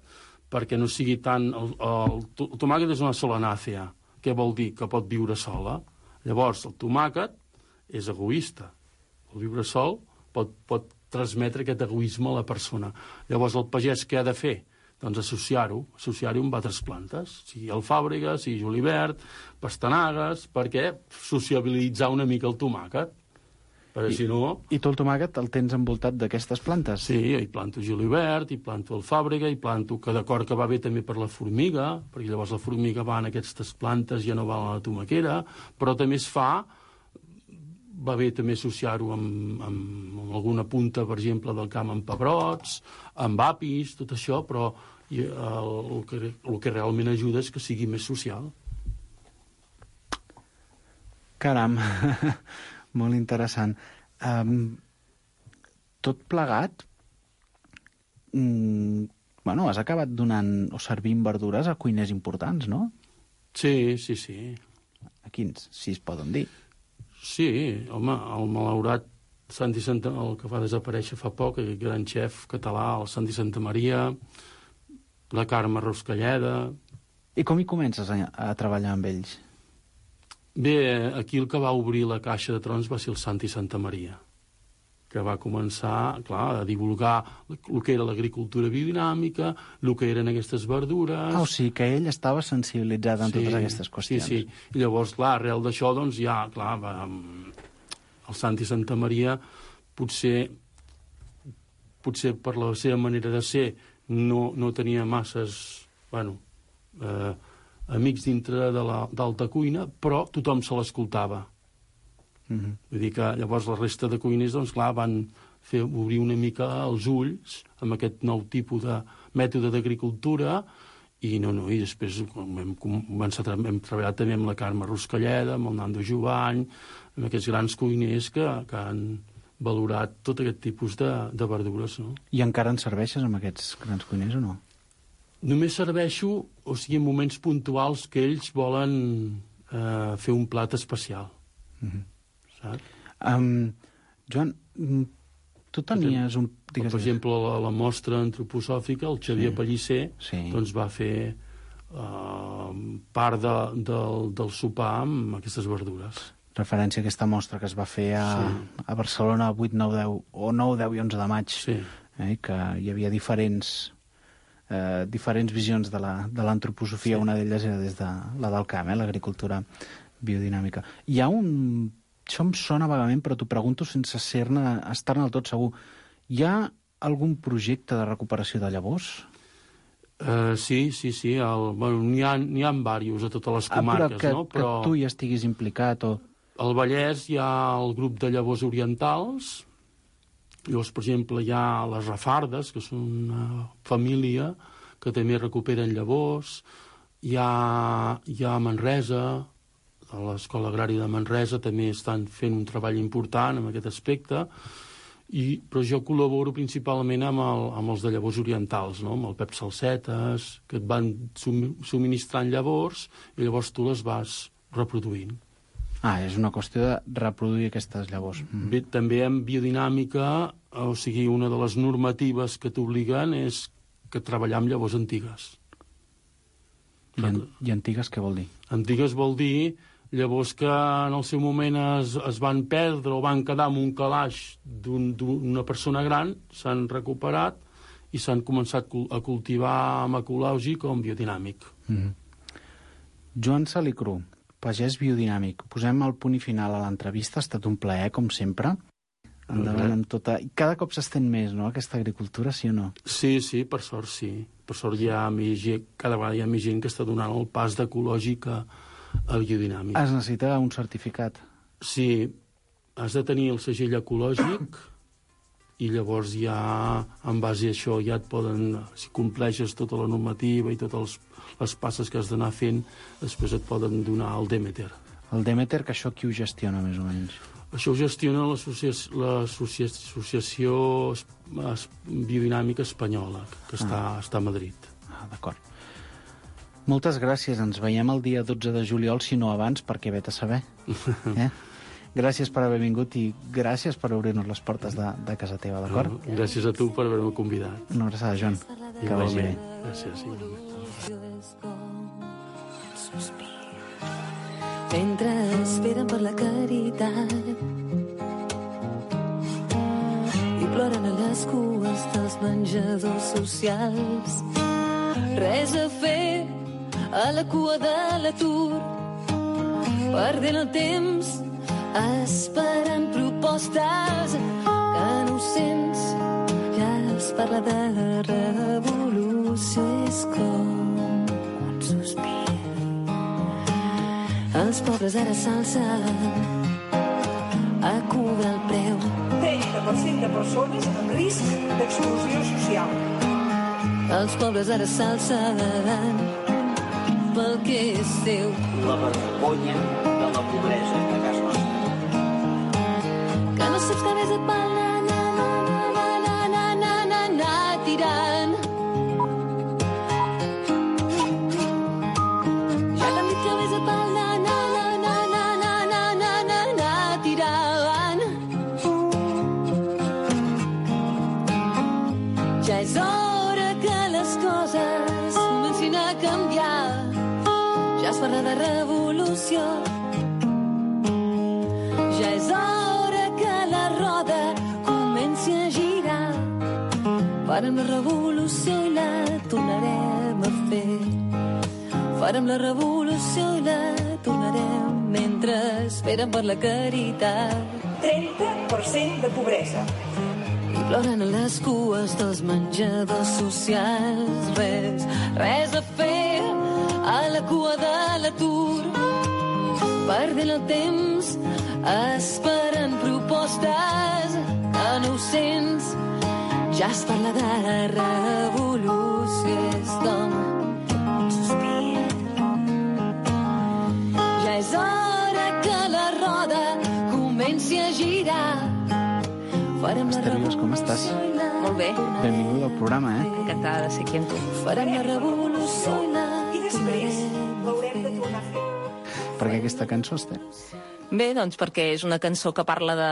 perquè no sigui tan... El, el, el tomàquet és una solanàcea. Què vol dir? Que pot viure sola. Llavors, el tomàquet és egoista. El viure sol pot, pot transmetre aquest egoisme a la persona. Llavors, el pagès què ha de fer? Doncs associar-ho, associar-ho amb altres plantes, sigui alfàbrega, sigui julivert, pastanagues, perquè sociabilitzar una mica el tomàquet. Perquè I, si no... I tu el tomàquet el tens envoltat d'aquestes plantes? Sí, hi planto julivert, hi planto alfàbrega, hi planto que d'acord que va bé també per la formiga, perquè llavors la formiga va en aquestes plantes, ja no va a la tomaquera, però també es fa... Va bé també associar-ho amb, amb, amb alguna punta, per exemple, del camp amb pebrots, amb apis, tot això, però i el, el, que, el que realment ajuda és que sigui més social. Caram, molt interessant. Um, tot plegat, mm, bueno, has acabat donant o servint verdures a cuiners importants, no? Sí, sí, sí. A quins, si es poden dir? Sí, home, el malaurat Santi Santa, el que va desaparèixer fa poc, el gran xef català, el Santi Santa Maria, la Carme Ruscalleda... I com hi comences a, a treballar amb ells? Bé, aquí el que va obrir la caixa de trons va ser el Santi Santa Maria, que va començar, clar, a divulgar el que era l'agricultura biodinàmica, el que eren aquestes verdures... Ah, o sigui que ell estava sensibilitzat en sí, totes aquestes qüestions. Sí, sí. I llavors, clar, arrel d'això, doncs, ja, clar, va, el Santi Santa Maria potser, potser per la seva manera de ser no, no tenia masses, bueno, eh, amics dintre de l'alta cuina, però tothom se l'escoltava. Mm-hmm. Vull dir que llavors la resta de cuiners, doncs clar, van fer obrir una mica els ulls amb aquest nou tipus de mètode d'agricultura i no, no, i després hem, començat, hem treballat també amb la Carme Ruscalleda, amb el Nando Jovany, amb aquests grans cuiners que, que han valorat tot aquest tipus de, de verdures, no? I encara en serveixes amb aquests grans cuiners o no? Només serveixo, o sigui, en moments puntuals que ells volen eh, fer un plat especial. Mm-hmm. Um, Joan, tu tenies un... Digues, per exemple, la, la mostra antroposòfica, el Xavier sí. Pellicer, sí. doncs va fer uh, part de, de, del sopar amb aquestes verdures. Referència a aquesta mostra que es va fer a, sí. a Barcelona el vuit, nou, deu, o nou, deu i onze de maig, sí. eh, que hi havia diferents, eh, diferents visions de l'antroposofia, sí. Una d'elles era des de la del camp, eh, l'agricultura biodinàmica. Hi ha un... Això em sona vagament, però t'ho pregunto sense ser-ne, estar-ne del tot segur. Hi ha algun projecte de recuperació de llavors? Uh, sí, sí, sí. El, bueno, n'hi ha, n'hi ha diversos a totes les comarques, ah, però que, no? Però que tu hi estiguis implicat o... Al Vallès hi ha el grup de llavors orientals. Llavors, per exemple, hi ha les rafardes, que són una família que també recuperen llavors. Hi ha, hi ha Manresa, a l'Escola Agrària de Manresa també estan fent un treball important en aquest aspecte, i, però jo col·laboro principalment amb, el, amb els de llavors orientals, no? Amb el Pep Salsetes, que et van subministrant llavors i llavors tu les vas reproduint. Ah, és una qüestió de reproduir aquestes llavors. Mm. Bé, també en biodinàmica, o sigui, una de les normatives que t'obliguen és que treballar amb llavors antigues. I, an I antigues què vol dir? Antigues vol dir llavors que en el seu moment es, es van perdre o van quedar amb un calaix d'una un, persona gran, s'han recuperat i s'han començat a cultivar amb ecològic o amb biodinàmic. Mm. Joan Salicru, pagès biodinàmic. Posem el punt i final a l'entrevista. Ha estat un plaer, com sempre. Endavant amb tota... Cada cop s'estén més, no?, aquesta agricultura, sí o no? Sí, sí, per sort sí. Per sort hi ha més gent, cada vegada hi ha més gent que està donant el pas d'ecològic a, a biodinàmic. Es necessita un certificat. Sí, has de tenir el segell ecològic i llavors ja, en base a això, ja et poden, si compleixes tota la normativa i totes les, les passes que has d'anar fent, després et poden donar el Demeter. El Demeter, que això qui ho gestiona, més o menys? Això ho gestiona l'Associació Biodinàmica Espanyola, que està, ah. està a Madrid. Ah, d'acord. Moltes gràcies. Ens veiem el dia dotze de juliol, si no abans, perquè vet a saber. Eh? Gràcies per haver vingut i gràcies per obrir-nos les portes de, de casa teva, d'acord? No, gràcies a tu per haver-me convidat. Una abraçada, Joan. Que vagi bé. Gràcies, igualment. Mentre esperen per la caritat i ploren a les cues dels menjadors socials. Res a fer a la cua de l'atur, perdent el temps esperant propostes que no ho sents. Ja es parla de revolució, és com un sospir. Els pobres ara s'alcen a cobrar el preu. trenta per cent de persones en risc d'exclusió social. Els pobres ara s'alcen pel que és teu. La vergonya de la pobresa de casa nostra. Que no saps que ves a pal, na, na, na, na, na, na, na, na, na, tirant. Ja t'han dit que ves a pal, na, na, na, na, na, na, na, na, na, na, tirant. Ja és hora que les coses comencin a canviar. Ja es parla de revolució. Ja és hora que la roda comenci a girar. Farem la revolució i la tornarem a fer. Farem la revolució i la tornarem mentre esperen per la caritat. trenta per cent de pobresa. I ploren a les cues dels menjadors socials. Res, res a fer a la cua de l'atur, perdent el temps esperant propostes que no ho sents. Ja es parla de revolució, és com un sospir. Ja és hora que la roda comenci a girar. Esther Vives, com estàs? Molt bé. Benvinguda al programa, eh? Encantada de ser aquí amb tu. Farem la revolució i la I després l'haurem de tornar a fer. Per què aquesta cançó, Esther? Bé, doncs perquè és una cançó que parla de,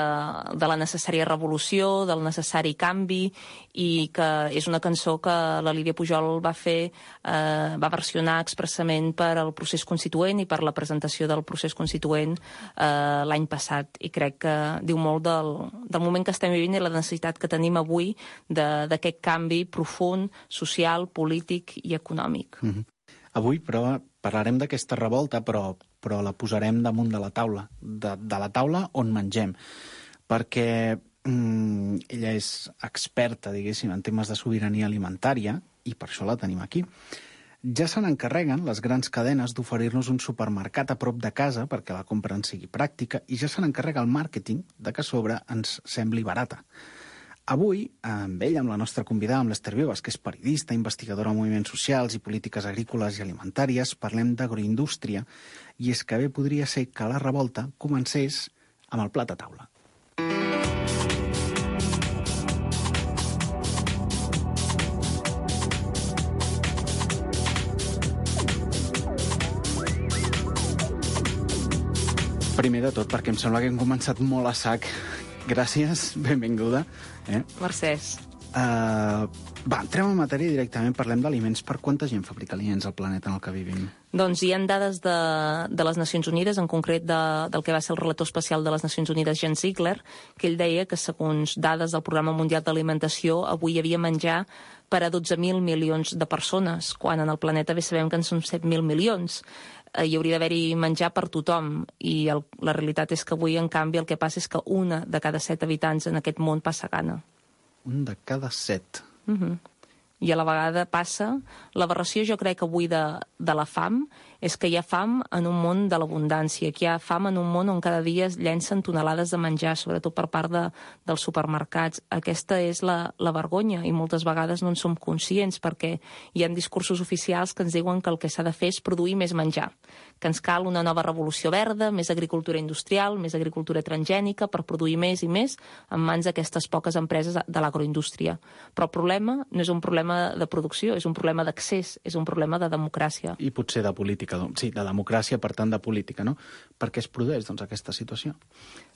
de la necessària revolució, del necessari canvi, i que és una cançó que la Lídia Pujol va fer, eh, va versionar expressament per al procés constituent i per la presentació del procés constituent eh, l'any passat. I crec que diu molt del, del moment que estem vivint i la necessitat que tenim avui d'aquest canvi profund, social, polític i econòmic. Mm-hmm. Avui, però, parlarem d'aquesta revolta, però, però la posarem damunt de la taula, de, de la taula on mengem, perquè mm, ella és experta, diguéssim, en temes de sobirania alimentària, i per això la tenim aquí. Ja se n'encarreguen les grans cadenes d'oferir-nos un supermercat a prop de casa perquè la compra en sigui pràctica i ja se n'encarrega el màrqueting de que a sobre ens sembli barata. Avui, amb ell, amb la nostra convidada, amb l'Ester Vives, que és periodista, investigadora en moviments socials i polítiques agrícoles i alimentàries, parlem d'agroindústria, i és que bé podria ser que la revolta comencés amb el plat a taula. Primer de tot, perquè em sembla que hem començat molt a sac. Gràcies, benvinguda. Eh? Mercès. Uh, va, entrem en matèria directament, parlem d'aliments. Per quanta gent fabrica aliments al planeta en el que vivim? Doncs hi ha dades de, de les Nacions Unides, en concret de, del que va ser el relator especial de les Nacions Unides, Jens Ziegler, que ell deia que, segons dades del Programa Mundial d'Alimentació, avui hi havia menjar per a dotze mil milions de persones, quan en el planeta bé sabem que en són set mil milions. Hi hauria d'haver-hi menjar per tothom, i el, la realitat és que avui, en canvi, el que passa és que una de cada set habitants en aquest món passa gana. Un de cada set. Uh-huh. I a la vegada passa... L'aberració, jo crec, avui de, de la fam és que hi ha fam en un món de l'abundància, que hi ha fam en un món on cada dia es llencen tonelades de menjar, sobretot per part de, dels supermercats. Aquesta és la, la vergonya, i moltes vegades no en som conscients, perquè hi ha discursos oficials que ens diuen que el que s'ha de fer és produir més menjar, que ens cal una nova revolució verda, més agricultura industrial, més agricultura transgènica, per produir més i més en mans d'aquestes poques empreses de l'agroindústria. Però el problema no és un problema de producció, és un problema d'accés, és un problema de democràcia. I potser de política, sí, de democràcia, per tant de política, no? Per què es produeix, doncs, aquesta situació?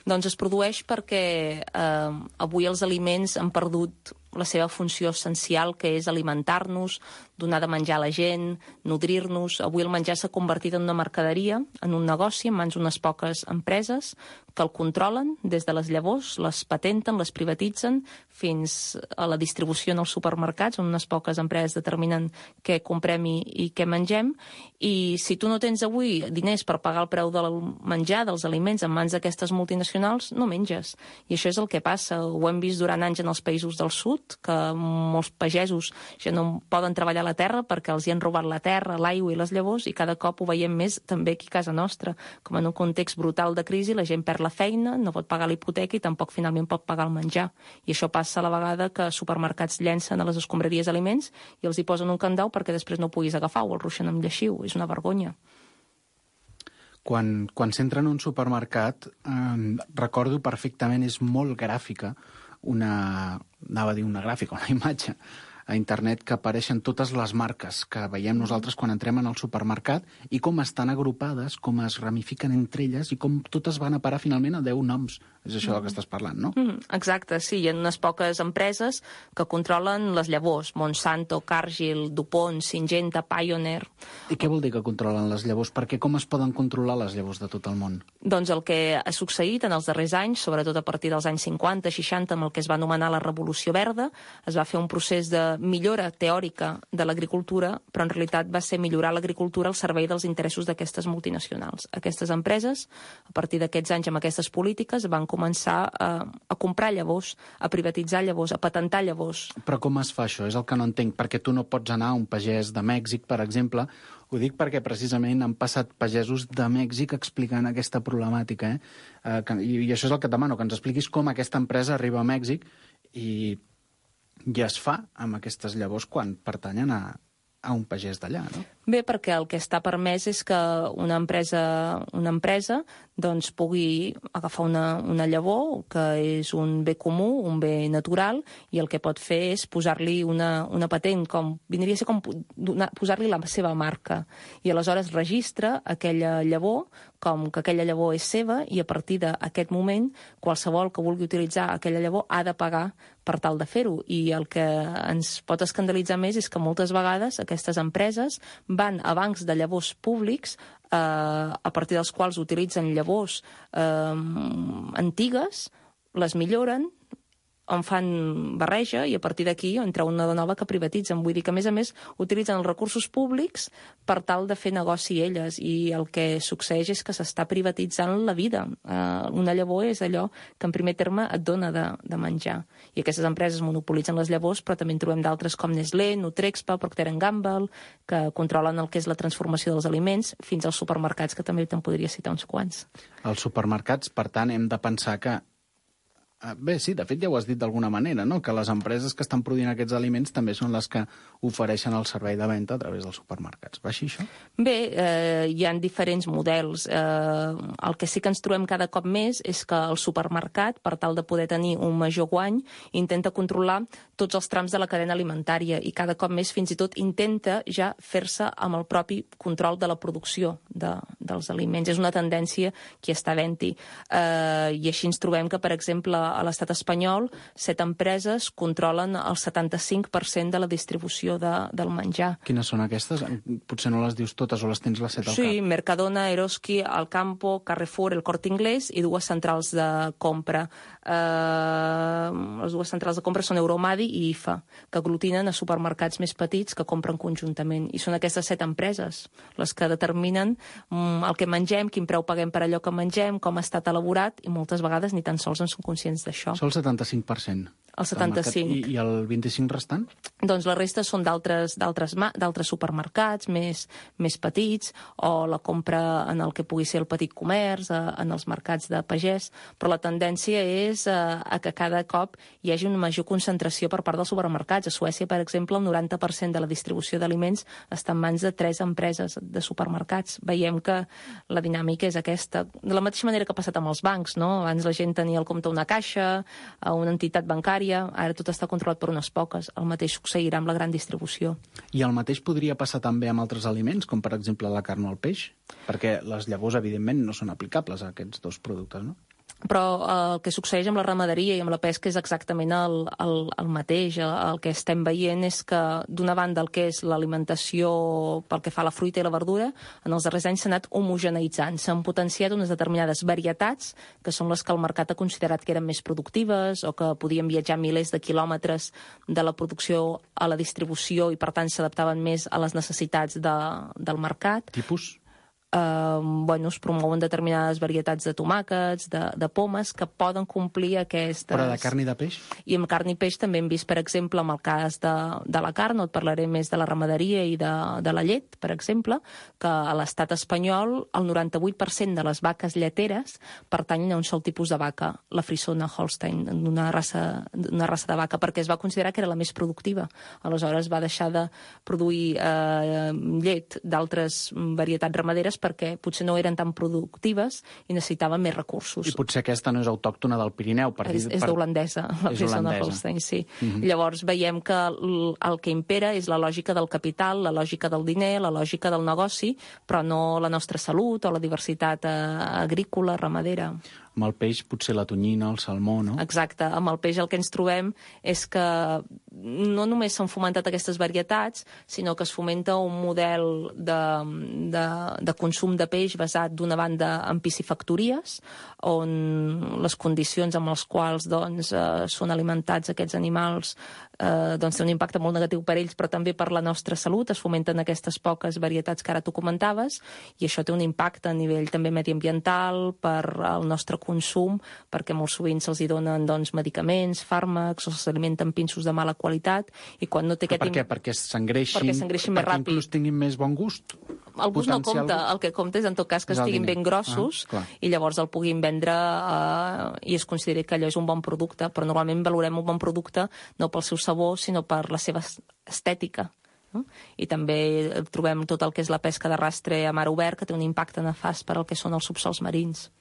Doncs es produeix perquè eh, avui els aliments han perdut la seva funció essencial, que és alimentar-nos, donar de menjar a la gent, nodrir-nos. Avui el menjar s'ha convertit en una mercaderia, en un negoci, en mans d'unes poques empreses que el controlen des de les llavors, les patenten, les privatitzen, fins a la distribució en els supermercats, on unes poques empreses determinen què comprem i, i què mengem. I si tu no tens avui diners per pagar el preu del menjar, dels aliments, en mans d'aquestes multinacionals, no menges. I això és el que passa. Ho hem vist durant anys en els països del sud, que molts pagesos ja no poden treballar a la terra perquè els hi han robat la terra, l'aigua i les llavors, i cada cop ho veiem més també aquí a casa nostra. Com en un context brutal de crisi, la gent perd la feina, no pot pagar la hipoteca i tampoc finalment pot pagar el menjar. I això passa a la vegada que supermercats llencen a les escombraries aliments i els hi posen un candau perquè després no ho puguis agafar o el ruixen amb lleixiu. És una vergonya. Quan, quan s'entra en un supermercat, eh, recordo perfectament, és molt gràfica, una, anava a dir una gràfica, una imatge a internet, que apareixen totes les marques que veiem nosaltres quan entrem en el supermercat i com estan agrupades, com es ramifiquen entre elles i com totes van a parar finalment a deu noms. És això del que estàs parlant, no? Mm, exacte, sí. Hi ha unes poques empreses que controlen les llavors. Monsanto, Cargill, DuPont, Syngenta, Pioneer... I què vol dir que controlen les llavors? Perquè com es poden controlar les llavors de tot el món? Doncs el que ha succeït en els darrers anys, sobretot a partir dels anys cinquanta, seixanta, amb el que es va anomenar la Revolució Verda, es va fer un procés de millora teòrica de l'agricultura, però en realitat va ser millorar l'agricultura al servei dels interessos d'aquestes multinacionals. Aquestes empreses, a partir d'aquests anys amb aquestes polítiques, van començar a, a comprar llavors, a privatitzar llavors, a patentar llavors. Però com es fa això? És el que no entenc, perquè tu no pots anar a un pagès de Mèxic, per exemple. Ho dic perquè precisament han passat pagesos de Mèxic explicant aquesta problemàtica. Eh? Eh, que, i, I això és el que et demano, que ens expliquis com aquesta empresa arriba a Mèxic i, i es fa amb aquestes llavors quan pertanyen a, a un pagès d'allà, no? Bé, perquè el que està permès és que una empresa, una empresa doncs, pugui agafar una, una llavor, que és un bé comú, un bé natural, i el que pot fer és posar-li una, una patent, com vindria a ser com posar-li la seva marca. I aleshores registra aquella llavor com que aquella llavor és seva, i a partir d'aquest moment qualsevol que vulgui utilitzar aquella llavor ha de pagar per tal de fer-ho. I el que ens pot escandalitzar més és que moltes vegades aquestes empreses van a bancs de llavors públics eh, a partir dels quals utilitzen llavors eh, antigues, les milloren on fan barreja i a partir d'aquí en treu una de nova que privatitzen. Vull dir que, a més a més, utilitzen els recursos públics per tal de fer negoci elles i el que succeeix és que s'està privatitzant la vida. Uh, una llavor és allò que en primer terme et dona de, de menjar. I aquestes empreses monopolitzen les llavors, però també en trobem d'altres com Nestlé, Nutrexpa, Procter and Gamble, que controlen el que és la transformació dels aliments, fins als supermercats, que també te'n podria citar uns quants. Els supermercats, per tant, hem de pensar que bé, sí, de fet ja ho has dit d'alguna manera, no? Que les empreses que estan produint aquests aliments també són les que ofereixen el servei de venda a través dels supermercats. Va així, això? Bé, eh, hi ha diferents models. Eh, el que sí que ens trobem cada cop més és que el supermercat, per tal de poder tenir un major guany, intenta controlar tots els trams de la cadena alimentària i cada cop més fins i tot intenta ja fer-se amb el propi control de la producció de, dels aliments. És una tendència que està havent-hi. Eh, I així ens trobem que, per exemple, a l'estat espanyol, set empreses controlen el setanta-cinc per cent de la distribució de, del menjar. Quines són aquestes? Potser no les dius totes o les tens les set al sí, cap. Sí, Mercadona, Eroski, Alcampo, Carrefour, el Corte Inglés i dues centrals de compra. Eh, les dues centrals de compra són Euromadi i I F A, que aglutinen a supermercats més petits que compren conjuntament. I són aquestes set empreses les que determinen mm, el que mengem, quin preu paguem per allò que mengem, com ha estat elaborat, i moltes vegades ni tan sols en són conscients d'això. Sol setanta-cinc per cent. El setanta-cinc. I, I el vint-i-cinc restant? Doncs la resta són d'altres d'altres supermercats més, més petits, o la compra en el que pugui ser el petit comerç, en els mercats de pagès, però la tendència és a, a que cada cop hi hagi una major concentració per part dels supermercats. A Suècia, per exemple, el noranta per cent de la distribució d'aliments està en mans de tres empreses de supermercats. Veiem que la dinàmica és aquesta. De la mateixa manera que ha passat amb els bancs, no? Abans la gent tenia al compte una caixa, una entitat bancària, ara tot està controlat per unes poques. El mateix succeirà amb la gran distribució. I el mateix podria passar també amb altres aliments, com per exemple la carn o el peix? Perquè les llavors, evidentment, no són aplicables a aquests dos productes, no? Però el que succeeix amb la ramaderia i amb la pesca és exactament el, el, el mateix. El, el que estem veient és que, d'una banda, el que és l'alimentació pel que fa a la fruita i la verdura, en els darrers anys s'ha anat homogeneitzant. S'han potenciat unes determinades varietats, que són les que el mercat ha considerat que eren més productives o que podien viatjar milers de quilòmetres de la producció a la distribució i, per tant, s'adaptaven més a les necessitats de, del mercat. Tipus? Uh, bueno, es promouen determinades varietats de tomàquets, de, de pomes, que poden complir aquestes... Però de carn i de peix? I amb carn i peix també hem vist, per exemple, amb el cas de, de la carn, no et parlaré més de la ramaderia i de, de la llet, per exemple, que a l'estat espanyol el noranta-vuit per cent de les vaques lleteres pertanyen a un sol tipus de vaca, la frisona Holstein, una raça, una raça de vaca, perquè es va considerar que era la més productiva. Aleshores va deixar de produir eh, llet d'altres varietats ramaderes perquè potser no eren tan productives i necessitaven més recursos. I potser aquesta no és autòctona del Pirineu. Per és és per... d'holandesa, la frisona Holstein, sí. Uh-huh. Llavors veiem que el, el que impera és la lògica del capital, la lògica del diner, la lògica del negoci, però no la nostra salut o la diversitat eh, agrícola, ramadera. Amb el peix potser la tonyina, el salmó, no? Exacte. Amb el peix el que ens trobem és que no només s'han fomentat aquestes varietats, sinó que es fomenta un model de, de, de consum de peix basat d'una banda en piscifactories, on les condicions amb les quals doncs, eh, són alimentats aquests animals eh, doncs, té un impacte molt negatiu per ells, però també per la nostra salut. Es fomenten aquestes poques varietats que ara tu comentaves, i això té un impacte a nivell també mediambiental, per al nostre consum, perquè molt sovint se'ls hi donen doncs, medicaments, fàrmacs, o s'alimenten pinsos de mala qualitat, i quan no té aquest... Per què? Perquè s'engreixin, perquè s'engreixin més ràpid. Perquè inclús tinguin més bon gust? El gust no compta, el que compta és en tot cas que estiguin ben grossos ah, i llavors el puguin vendre eh, i es consideri que allò és un bon producte, però normalment valorem un bon producte no pel seu sabor, sinó per la seva estètica. No? I també trobem tot el que és la pesca de rastre a mar obert, que té un impacte nefast per al que són els subsols marins.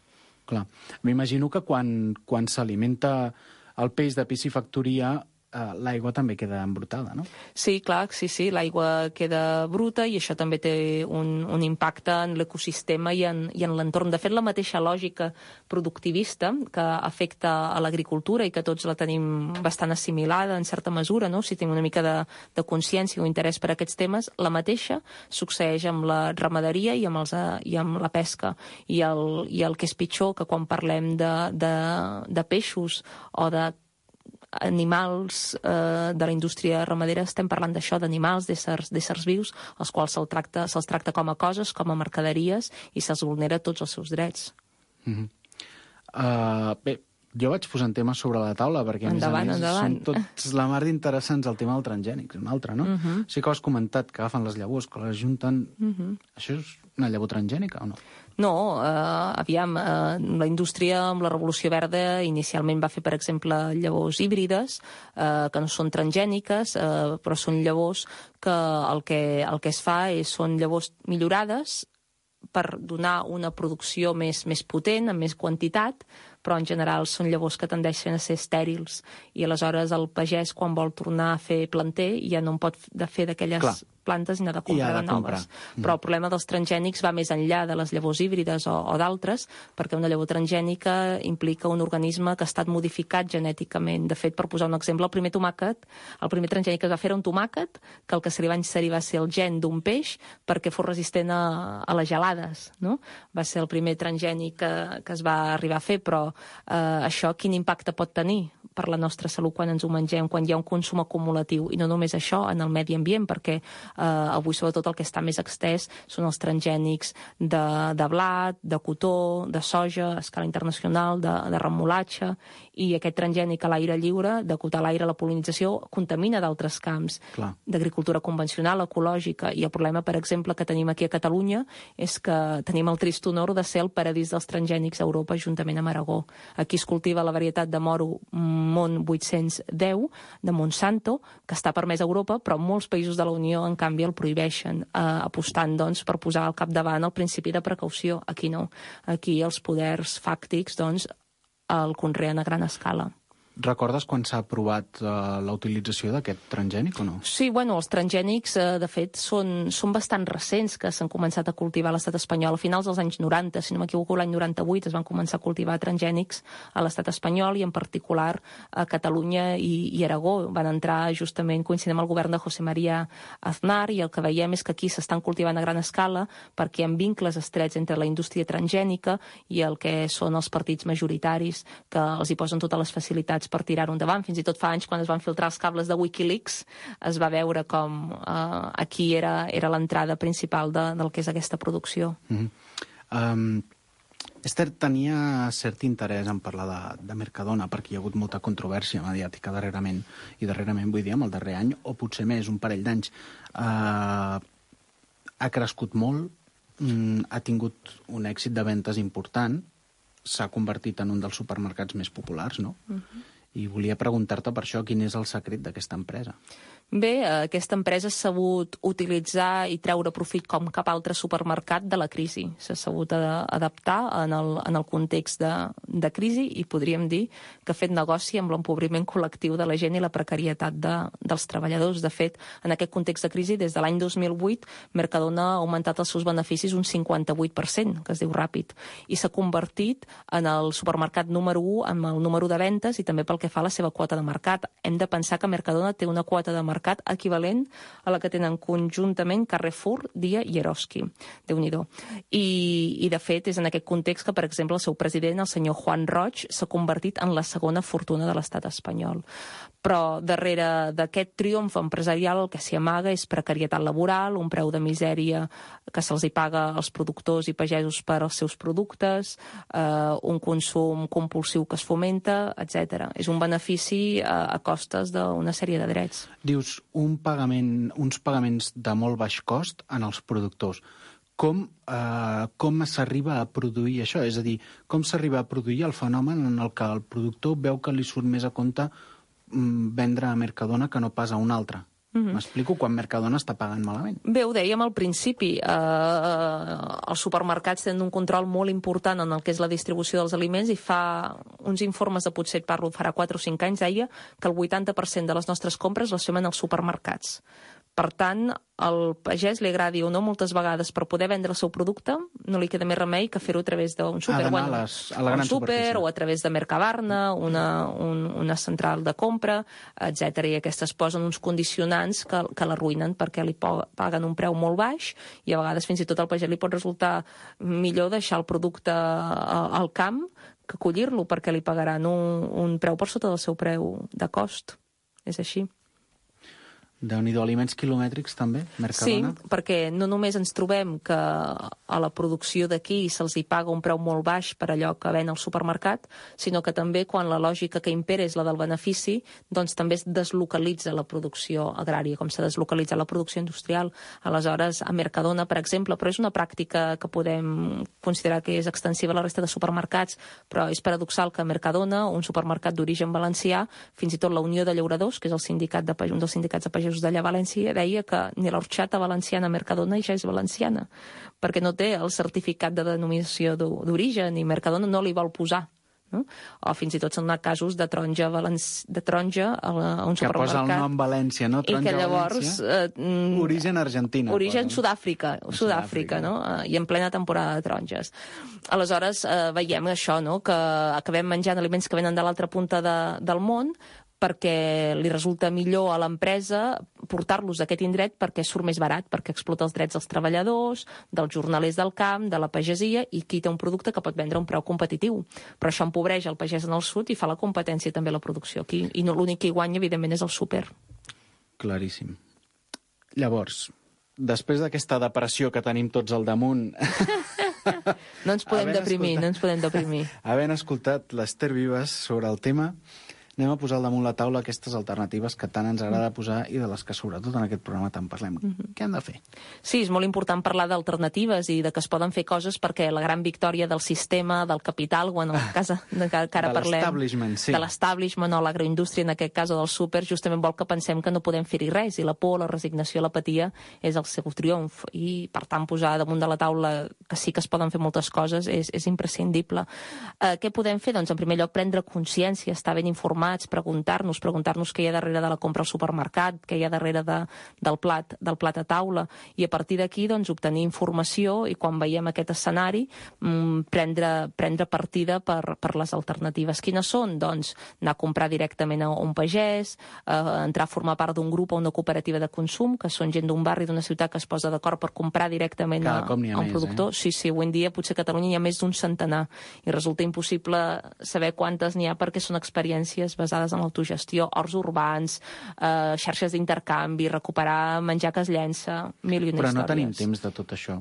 Clar. M'imagino que quan, quan s'alimenta el peix de piscifactoria, Uh, l'aigua també queda embrutada, no? Sí, clar, sí, sí, l'aigua queda bruta i això també té un, un impacte en l'ecosistema i en, i en l'entorn. De fet, la mateixa lògica productivista que afecta a l'agricultura i que tots la tenim bastant assimilada en certa mesura, no? Si tenim una mica de, de consciència o interès per aquests temes, la mateixa succeeix amb la ramaderia i amb, els, i amb la pesca. I el, i el que és pitjor, que quan parlem de, de, de peixos o de animals eh, de la indústria ramadera, estem parlant d'això, d'animals, d'éssers, d'éssers vius, els quals se'ls tracta, se'ls tracta com a coses, com a mercaderies, i se'ls vulnera tots els seus drets. Mm-hmm. uh, bé, jo vaig posant temes sobre la taula perquè, a endavant, més a més, endavant. són tots la mar d'interessants. El tema del transgènic, un altre, no? Uh-huh. Sí que ho has comentat, que agafen les llavors, que les junten... Uh-huh. Això és una llavor transgènica o no? No, eh, aviam, eh, la indústria amb la Revolució Verda inicialment va fer, per exemple, llavors híbrides, eh, que no són transgèniques, eh, però són llavors que el que, el que es fa és, són llavors millorades per donar una producció més, més potent, amb més quantitat, però en general són llavors que tendeixen a ser estèrils, i aleshores el pagès, quan vol tornar a fer planter, ja no en pot de fer d'aquelles Clar. plantes i n'ha de comprar de de noves. Mm. Però el problema dels transgènics va més enllà de les llavors híbrides o, o d'altres, perquè una llavor transgènica implica un organisme que ha estat modificat genèticament. De fet, per posar un exemple, el primer tomàquet, el primer transgènic que es va fer era un tomàquet, que el que se li va inserir va ser el gen d'un peix perquè fos resistent a, a les gelades, no? Va ser el primer transgènic que, que es va arribar a fer, però eh, això quin impacte pot tenir per la nostra salut quan ens ho mengem, quan hi ha un consum acumulatiu, i no només això, en el medi ambient, perquè eh, avui sobretot el que està més extès són els transgènics de, de blat, de cotó, de soja, a escala internacional, de, de remolatge, i aquest transgènic a l'aire lliure, d'acotar l'aire a la pol·linització, contamina d'altres camps d'agricultura convencional, ecològica, i el problema, per exemple, que tenim aquí a Catalunya és que tenim el trist honor de ser el paradís dels transgènics a Europa, juntament amb Aragó. Aquí es cultiva la varietat de moro Mont vuit-cents deu, de Monsanto, que està permès a Europa, però molts països de la Unió, en canvi, el prohibeixen, eh, apostant, doncs, per posar al capdavant el principi de precaució. Aquí no. Aquí els poders fàctics, doncs, el conreen a gran escala. Recordes quan s'ha aprovat uh, la utilització d'aquest transgènic o no? Sí, bueno, els transgènics, eh, de fet, són, són bastant recents que s'han començat a cultivar a l'estat espanyol. A finals dels anys noranta, si no m'equivoco, l'any noranta-vuit es van començar a cultivar transgènics a l'estat espanyol, i en particular a Catalunya i, i Aragó. Van entrar justament coincidint amb el govern de José María Aznar, i el que veiem és que aquí s'estan cultivant a gran escala perquè hi ha vincles estrets entre la indústria transgènica i el que són els partits majoritaris, que els hi posen totes les facilitats per tirar-ho endavant. Fins i tot fa anys, quan es van filtrar els cables de Wikileaks, es va veure com eh, aquí era, era l'entrada principal de, del que és aquesta producció. Mm-hmm. um, Esther tenia cert interès en parlar de, de Mercadona, perquè hi ha hagut molta controvèrsia mediàtica darrerament, i darrerament vull dir amb el darrer any, o potser més, un parell d'anys. Uh, ha crescut molt, mm, ha tingut un èxit de ventes important, s'ha convertit en un dels supermercats més populars, no? Uh-huh. I volia preguntar-te per això, quin és el secret d'aquesta empresa? Bé, aquesta empresa s'ha sabut utilitzar i treure profit com cap altre supermercat de la crisi. S'ha sabut adaptar en el, en el context de, de crisi, i podríem dir que ha fet negoci amb l'empobriment col·lectiu de la gent i la precarietat de, dels treballadors. De fet, en aquest context de crisi, des de l'any dos mil vuit, Mercadona ha augmentat els seus beneficis un cinquanta-vuit per cent, que es diu ràpid, i s'ha convertit en el supermercat número u amb el número de ventes i també pel que fa a la seva quota de mercat. Hem de pensar que Mercadona té una quota de mercat equivalent a la que tenen conjuntament Carrefour, Dia i Eroski. Déu-n'hi-do. I, I, de fet, és en aquest context que, per exemple, el seu president, el senyor Juan Roig, s'ha convertit en la segona fortuna de l'estat espanyol. Però darrere d'aquest triomf empresarial el que s'hi amaga és precarietat laboral, un preu de misèria que se'ls hi paga als productors i pagesos per als seus productes, eh, un consum compulsiu que es fomenta, etcètera. És un benefici a, a costes d'una sèrie de drets. Dius, un pagament, uns pagaments de molt baix cost en els productors. Com, eh, com s'arriba a produir això? És a dir, com s'arriba a produir el fenomen en el que el productor veu que li surt més a compte vendre a Mercadona que no pas a un altre? Mm-hmm. M'explico quan Mercadona està pagant malament. Bé, ho dèiem al principi. Eh, els supermercats tenen un control molt important en el que és la distribució dels aliments, i fa uns informes de potser, parlo, farà quatre o cinc anys, deia que el vuitanta per cent de les nostres compres les fem en els supermercats. Per tant, al pagès li agradi o no, moltes vegades, per poder vendre el seu producte, no li queda més remei que fer-ho a través d'un súper, bueno, a les, a la gran súper, o a través de Mercabarna, una, un, una central de compra, etcètera. I aquestes posen uns condicionants que, que l'arruïnen perquè li paguen un preu molt baix, i a vegades fins i tot al pagès li pot resultar millor deixar el producte al camp que collir-lo, perquè li pagaran un, un preu per sota del seu preu de cost. És així. Déu-n'hi-do, aliments quilomètrics també, Mercadona? Sí, perquè no només ens trobem que a la producció d'aquí se'ls hi paga un preu molt baix per allò que ven al supermercat, sinó que també quan la lògica que impera és la del benefici, doncs també es deslocalitza la producció agrària, com s'ha deslocalitzat la producció industrial. Aleshores, a Mercadona, per exemple, però és una pràctica que podem considerar que és extensiva a la resta de supermercats, però és paradoxal que a Mercadona, un supermercat d'origen valencià, fins i tot la Unió de Llauradors, que és el sindicat de, un dels sindicats de pagesos d'allà a València, deia que ni l'orxata valenciana Mercadona ja és valenciana, perquè no té el certificat de denominació d'origen i Mercadona no li vol posar. No? O fins i tot són casos de taronja, valenci... de taronja a un supermercat. Que posa el nom València, no? Taronja, i que llavors... Eh, origen Argentina. Origen Sud-àfrica, Sud-àfrica, no? I en plena temporada de taronges. Aleshores, eh, veiem això, no? Que acabem menjant aliments que venen de l'altra punta de, del món, perquè li resulta millor a l'empresa portar-los a aquest indret perquè surt més barat, perquè explota els drets dels treballadors, dels jornalers del camp, de la pagesia, i qui té un producte que pot vendre a un preu competitiu. Però això empobreix el pagès en el sud i fa la competència també a la producció aquí. I no, l'únic que hi guanya, evidentment, és el súper. Claríssim. Llavors, després d'aquesta depressió que tenim tots al damunt... no ens podem deprimir, escoltat... no ens podem deprimir. Havent escoltat l'Ester Vives sobre el tema, anem a posar al damunt la taula aquestes alternatives que tant ens agrada posar i de les que sobretot en aquest programa tant parlem. Mm-hmm. Què han de fer? Sí, és molt important parlar d'alternatives i de que es poden fer coses perquè la gran victòria del sistema, del capital, o en el cas de que ara de parlem... l'establishment, sí. De l'establishment o l'agroindústria, en aquest cas, o del súper, justament vol que pensem que no podem fer-hi res, i la por, la resignació, l'apatia és el seu triomf. I, per tant, posar damunt de la taula que sí que es poden fer moltes coses és, és imprescindible. Eh, què podem fer? Doncs, en primer lloc, prendre consciència, estar ben informats, preguntar-nos, preguntar-nos què hi ha darrere de la compra al supermercat, què hi ha darrere de, del, plat, del plat a taula, i a partir d'aquí doncs, obtenir informació i quan veiem aquest escenari mmm, prendre, prendre partida per, per les alternatives. Quines són? Doncs anar a comprar directament a un pagès, eh, entrar a formar part d'un grup o una cooperativa de consum, que són gent d'un barri, d'una ciutat que es posa d'acord per comprar directament a, a un més, productor. Eh? Sí, sí, avui en dia potser a Catalunya hi ha més d'un centenar i resulta impossible saber quantes n'hi ha perquè són experiències basades en l'autogestió, horts urbans, eh, xarxes d'intercanvi, recuperar menjar que es llença, mil i una Però històries. no tenim temps de tot això.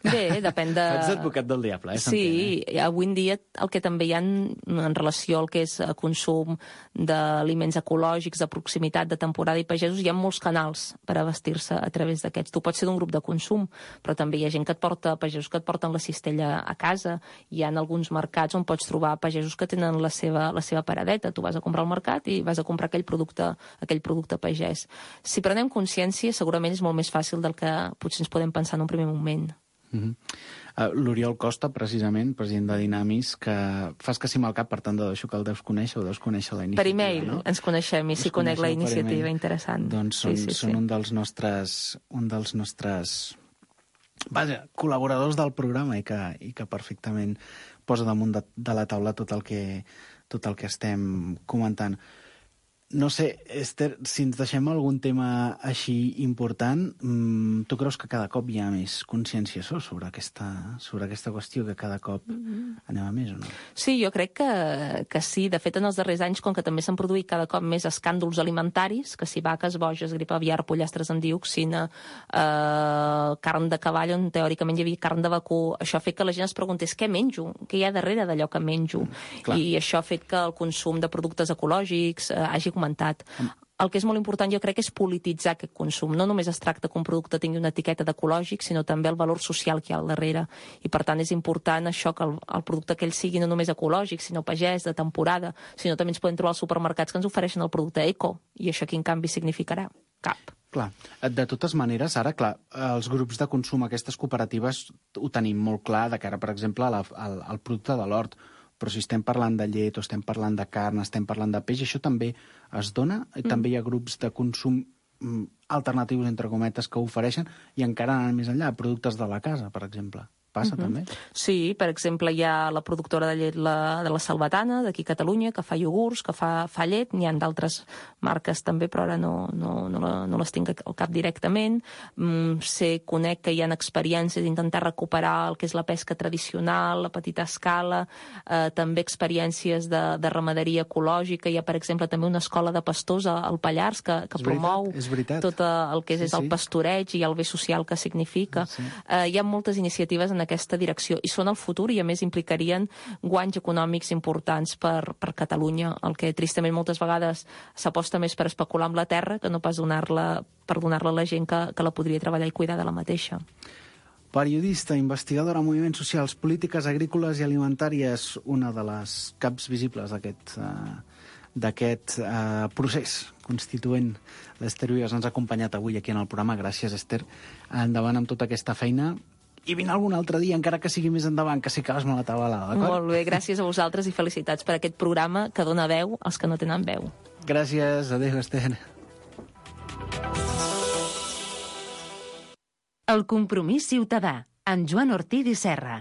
Bé, depèn de... Ets advocat del diable, eh? Sí, eh? Avui en dia el que també hi ha en relació al que és consum d'aliments ecològics, de proximitat, de temporada i pagesos, hi ha molts canals per abastir-se a través d'aquests. Tu pots ser d'un grup de consum, però també hi ha gent que et porta, pagesos que et porten la cistella a casa. Hi ha alguns mercats on pots trobar pagesos que tenen la seva, la seva paradeta. Tu vas a comprar al mercat i vas a comprar aquell producte, aquell producte pagès. Si prenem consciència, segurament és molt més fàcil del que potser ens podem pensar en un primer moment. Uh-huh. uh, L'Oriol Costa, precisament, president de Dinamis, que fas que sí amb el cap, per tant, de això que el deus conèixer o deus conèixer la iniciativa. Per e-mail, no? Ens coneixem i sí conec la iniciativa, interessant. Doncs són, sí, sí, són sí. un dels nostres, un dels nostres vaja, col·laboradors del programa i que, i que perfectament posa damunt de, de la taula tot el que, tot el que estem comentant. No sé, Esther, si ens deixem algun tema així important, mmm, tu creus que cada cop hi ha més consciència sobre aquesta, sobre aquesta qüestió, que cada cop mm-hmm. anem a més o no? Sí, jo crec que, que sí. De fet, en els darrers anys, com que també s'han produït cada cop més escàndols alimentaris, que si vaques, boges, grip aviar, pollastres amb dioxina, eh, carn de cavall, on teòricament hi havia carn de vacú, això ha fet que la gent es preguntés què menjo, què hi ha darrere d'allò que menjo. Mm, I això ha fet que el consum de productes ecològics eh, hagi comentat. El que és molt important, jo crec, és polititzar aquest consum. No només es tracta que un producte tingui una etiqueta d'ecològic, sinó també el valor social que hi ha al darrere. I, per tant, és important això que el, el producte aquell sigui no només ecològic, sinó pagès, de temporada, sinó també ens podem trobar als supermercats que ens ofereixen el producte eco. I això quin canvi significarà? Cap. Clar. De totes maneres, ara, clar, els grups de consum, aquestes cooperatives, ho tenim molt clar de cara, per exemple, a la, al, al producte de l'hort. Però si estem parlant de llet o estem parlant de carn, estem parlant de peix, això també es dona? Mm. També hi ha grups de consum alternatius, entre cometes, que ho ofereixen i encara anar més enllà, productes de la casa, per exemple. passa, Uh-huh. també? Sí, per exemple, hi ha la productora de llet la, de la Salvatana, d'aquí a Catalunya, que fa iogurts, que fa, fa llet. N'hi ha d'altres marques també, però ara no, no, no, la, no les tinc al cap directament. Mm, sé, conec que hi ha experiències d'intentar recuperar el que és la pesca tradicional, la petita escala, eh, també experiències de, de ramaderia ecològica. Hi ha, per exemple, també una escola de pastors al Pallars que, que És promou veritat, és veritat. tot el que és, Sí, és el sí. pastoreig i el bé social que significa. Sí. Eh, hi ha moltes iniciatives en aquesta direcció i són el futur i, a més, implicarien guanys econòmics importants per, per Catalunya, el que tristament moltes vegades s'aposta més per especular amb la terra que no pas donar-la per donar-la a la gent que, que la podria treballar i cuidar de la mateixa. Periodista, investigadora en moviments socials, polítiques agrícoles i alimentàries, una de les caps visibles d'aquest uh, d'aquest uh, procés constituent. L'Ester Vives ens ha acompanyat avui aquí en el programa. Gràcies, Ester. Endavant amb tota aquesta feina. I vine algun altre dia, encara que sigui més endavant, que si acabes molt atabalada, d'acord? Molt bé, gràcies a vosaltres i felicitats per aquest programa que dona veu als que no tenen veu. Gràcies, adéu, Ester. El compromís ciutadà, amb Joan Ortiz i Serra.